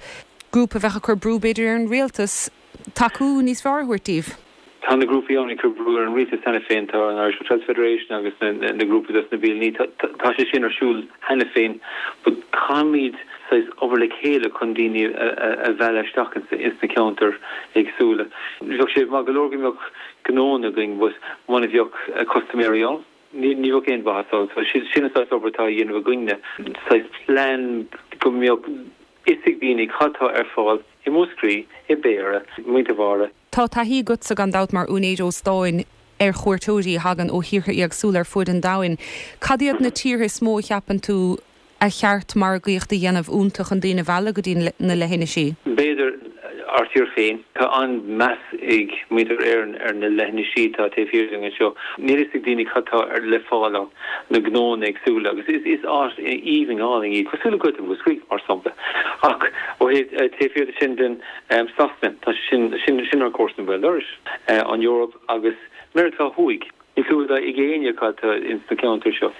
grúpa a bheadh ag cur brú, b'fhéidir, ar an rialtas tacú níos fearr a thabhairt daoibh.
Tá na grúpaí ann ag cur brú ar an rialtas cheana féin, tá an Irish Hotels Federation agus na grúpaí dos na bialannaí, tá sé sin ar siúl cheana féin but caithfimid saghas obair le chéile chun daoine a mhealladh isteach ins na ceantair éagsúla. Bheadh sé maith go leor go mbeadh gnóanna againn but muna bheadh custaiméirí ann. Ní bheadh aon mhaitheas ann. So sin an saghas obair atá á dhéanamh againne, saghas plean go mbeadh fhios ag daoine cad tá ar fáil i Múscraí, i mBéarra, i Muintir Bháire.
Tá taithí agatsa gan dabht mar úinéir óstáin ar chuairteoirí a thagann ó thíortha éagsúla ar fuaid an domhain. Cad iad na tíortha is mó a cheapann tú ar cheart margaíocht a dhéanamh iontu chun daoine a mhealladh go dtí na leithinisí?
B'fhéidir ár dtír féin. Tá an-meas ag muintir Éireann ar na leithinisí atá taobh thiar dúinn anseo. Níl fhios ag daoine cad tá le fáil ann, na gnóanna éagsúla, agus is áit aoibhinn álainn í, cosúil le Gaeltacht Mhúscraí, mar sampla. Ach ó thaobh taobh thiar de sin den Sasana, tá sé sin, sin, sin ár gcomharsan béal dorais, an Eoraip agus Meiriceá Thuaidh. Níl clue ag éinne cad tá ins na ceantair seo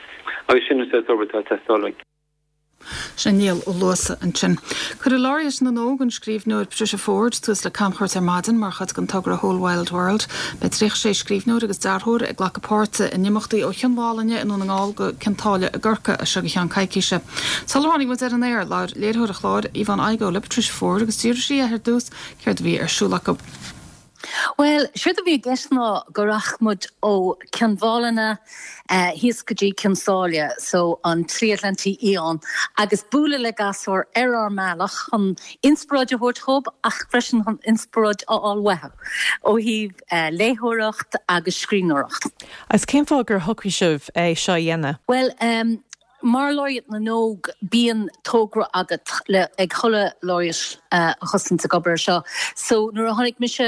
agus sin an saghas obair atá ag teastáil uainn.
Sin Niall Ó Luasa ansin. Cuirfidh Laureate na nÓg, an scríbhneoir Patricia Forde, tús le camchuairt ar maidin mar chuid den togra Whole Wild World. Beidh 36 scríbhneoir agus dearthóir ag glacadh páirte in imeachtaí ó Chionn Mhálanna i nDún na nGall go Cionn tSáile i gCorcaigh as seo go ceann coicíse. Sular tháinig muid ar an aer, labhair léiritheoir an chláir, Yvonne Igoe, le Patricia Forde agus d'fhiafraigh sí dhi ar dtús céard a bhí ar siúl acu.
Bhuel, séard a bhí i gceist ná go rachadh muid ó Cionn Mhálanna thíos go dtí Cionn Sáile, so an tSlí Atlantaigh Fhiáin, agus bualadh le gasúir ar ár mbealach chun inspioráid a thabhairt dhóibh ach freisin chun inspioráid a fháil uathu ó thaobh léitheoireacht agus scríbhneoireacht.
Agus cén fáth gur shocraigh sibh é seo a dhéanamh?
Bhuel, Mar Laureate na nÓg, bíonn togra agat le ag chuile Laureate a thosaíonns ag obair ar seo. So nuair a tháinig mise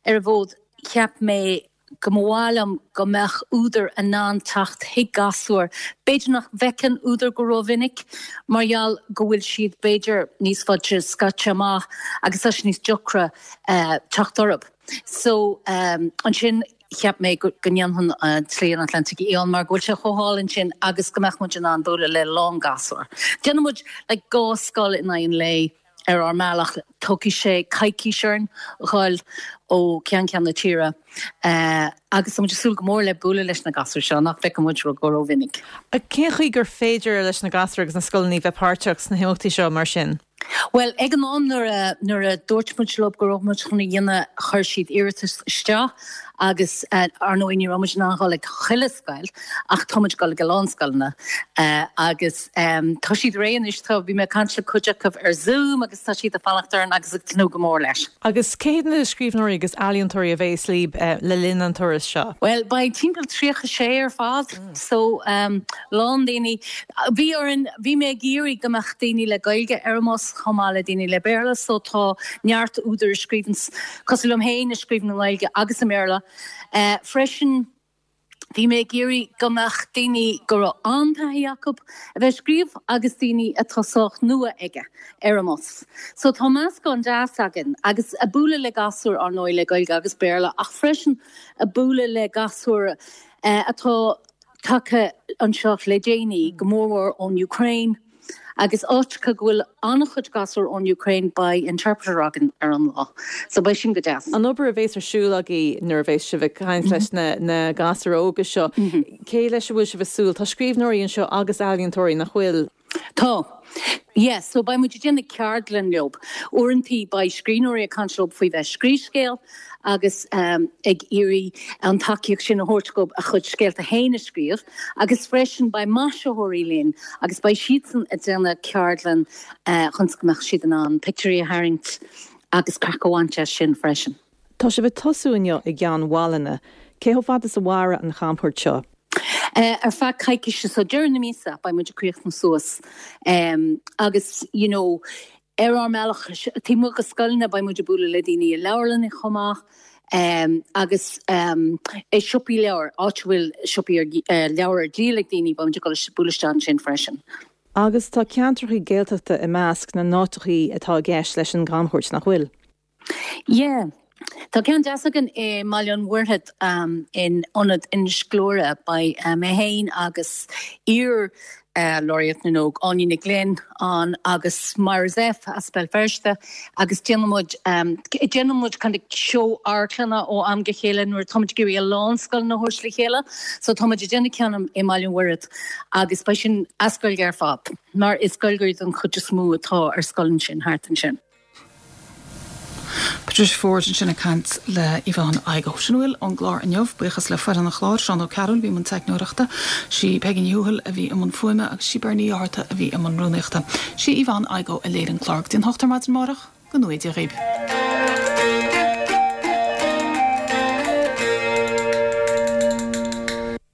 ar an bhfód, cheap mé go mba mhaith liom go mbeadh údair in ann teacht chuig gasúir, b'fhéidir nach bhfeiceann údair go rómhinic mar gheall go bhfuil siad b'fhéidir níos faide scaite amach agus tá sé níos deacra teacht orthu. So ansin cheap mé go ndéanfainn an tSlí an Atlantaigh Fhiáin mar go bhfuil sé chomh hálainn sin agus go mbeadh muid in ann bualadh le a lán gasúr. Déanann muid like dhá scoil in aghaidh an lae ar ár mbealach. Tógfaidh sé coicís orainn dhul ó cheann ceann na tíre agus tá muid ag súil go mór le bualadh leis na gasúir seo nach bhfeiceann muid go rómhinic.
Cén chaoi gur féidir leis na gasúir agus na scoileanna bheith páirteach sna himeachtaí seo mar sin?
Bhuel, ag an am nuair a, nuair a dúirt muid leo go raibh muid chun a dhéanamh, chuir siad iarratas isteach. Agus ar ndóigh ní raibh muid in ann a dhul ag chuile scoil ach tá muid ag dul ag a lán scoileanna agus tá siad réidh anois, tá, bhí mé ag caint le cuid acu ar Zoom agus tá siad ag fanacht orainn agus ag tnúth go mór leis.
Agus cé hiad na scríbhneoirí agus ealaíontóirí a bheas libh le linn an turais seo?
Bhuel, beidh timpeall 36 ar fad, so lán daoine. Bhí orainn, bhí mé ag iarraidh go mbeadh daoine le Gaeilge ar an mbus chomh maith le daoine le Béarla, so tá neart údair a scríobhann, cosúil liom féin, a scríobhann i nGaeilge agus i mBéarla freisin. Bhí mé ag iarraidh go mbeadh daoine go raibh an-taithí acu a bheith ag scríobh agus daoine atá sách nua aige ar an mbus. So tá meascán deas againn agus ag bualadh le gasúir ar ndóigh le Gaeilge agus Béarla ach freisin ag bualadh le gasúir atá tagtha anseo le déanaí, go mórmhór ón Ukraine. Agus áiteacha go bhfuil an-chuid gasúr ón Ukraine beidh interpreter againn ar an lá. So beidh sin go deas.
An obair a bhéas ar siúl agaibh nuair a bhéas sibh ag caint leis na gasúir óga seo, cé leis a bhfuil sibh ag súil? Tá scríbhneoirí anseo agus ealaíontóirí, nach bhfuil?
Tá. Yes, so beidh muid ag déanamh ceardlann leo. Uaireantaí beidh scríbhneoirí ag caint leo faoi bheith ag scríobh scéal agus ag iarraidh an tacaíocht sin a thabhairt dóibh a chuid scéalta féin a scríobh agus freisin beidh maisitheoirí linn agus beidh siadsan ag déanamh ceardlann chun go mbeadh siad in ann pictiúirí a tharraingt agus craic a bhaint as sin freisin.
Tá sibh ag tosú inniu i gCeann Mhálanna. Cé chomh fada is a mhairfidh an chamchuairt seo?
Ar feadh coicíse, so deireadh na míosa beidh muid ag críochnú suas agus you know Ar ár mbealach taobh amuigh de scoileanna beidh muid ag bualadh le daoine i leabharlanna chomh maith agus i siopaí leabhar, áit a bhfuil siopaí leabhar ar díol ag daoine, beidh muid ag dul bualadh isteach ansin freisin.
Agus tá ceantracha Gaeltachta i measc na n-áiteachaí atá i gceist leis an gcamchuairt, nach bhfuil?
Yeah. Tá ceann deas againn i mBaile an Mhuirthead in Ionad Inis Gluaire. Beidh mé féin agus iar Laureate na nÓg, Áine Nic Ghlinn, ann agus Myra Zepf as Béal Feirste agus déanann muid déanann muid kind of seó amharclainne ó am go chéile nuair atá muid ag iarraidh a lán scoileanna a thabhairt le chéile. So tá muid ag déanamh ceann i mBaile an Mhuirthead agus beidh sin as Gaeilge ar fad mar is Gaeilgeoirí den chuid is mó atá ar scoil ansin thart ansin.
Patricia Forde ansin ag caint le Yvonne Igoe. Sin a bhfuil ón gclár inniu. Buíochas le foireann an chláir, Seán Ó Cearúil a bhí i mbun teicneoireachta, sí Peigí Ní Thuathail a bhí i mbun fuaime agus sí Bernie Uí Fhátharta a bhí i mbun rúnaíochta. Sí Yvonne Igoe a léirigh an clár. Go dtí an hocht ar maidin amárach, go ngnóthaí Dia dhaoibh.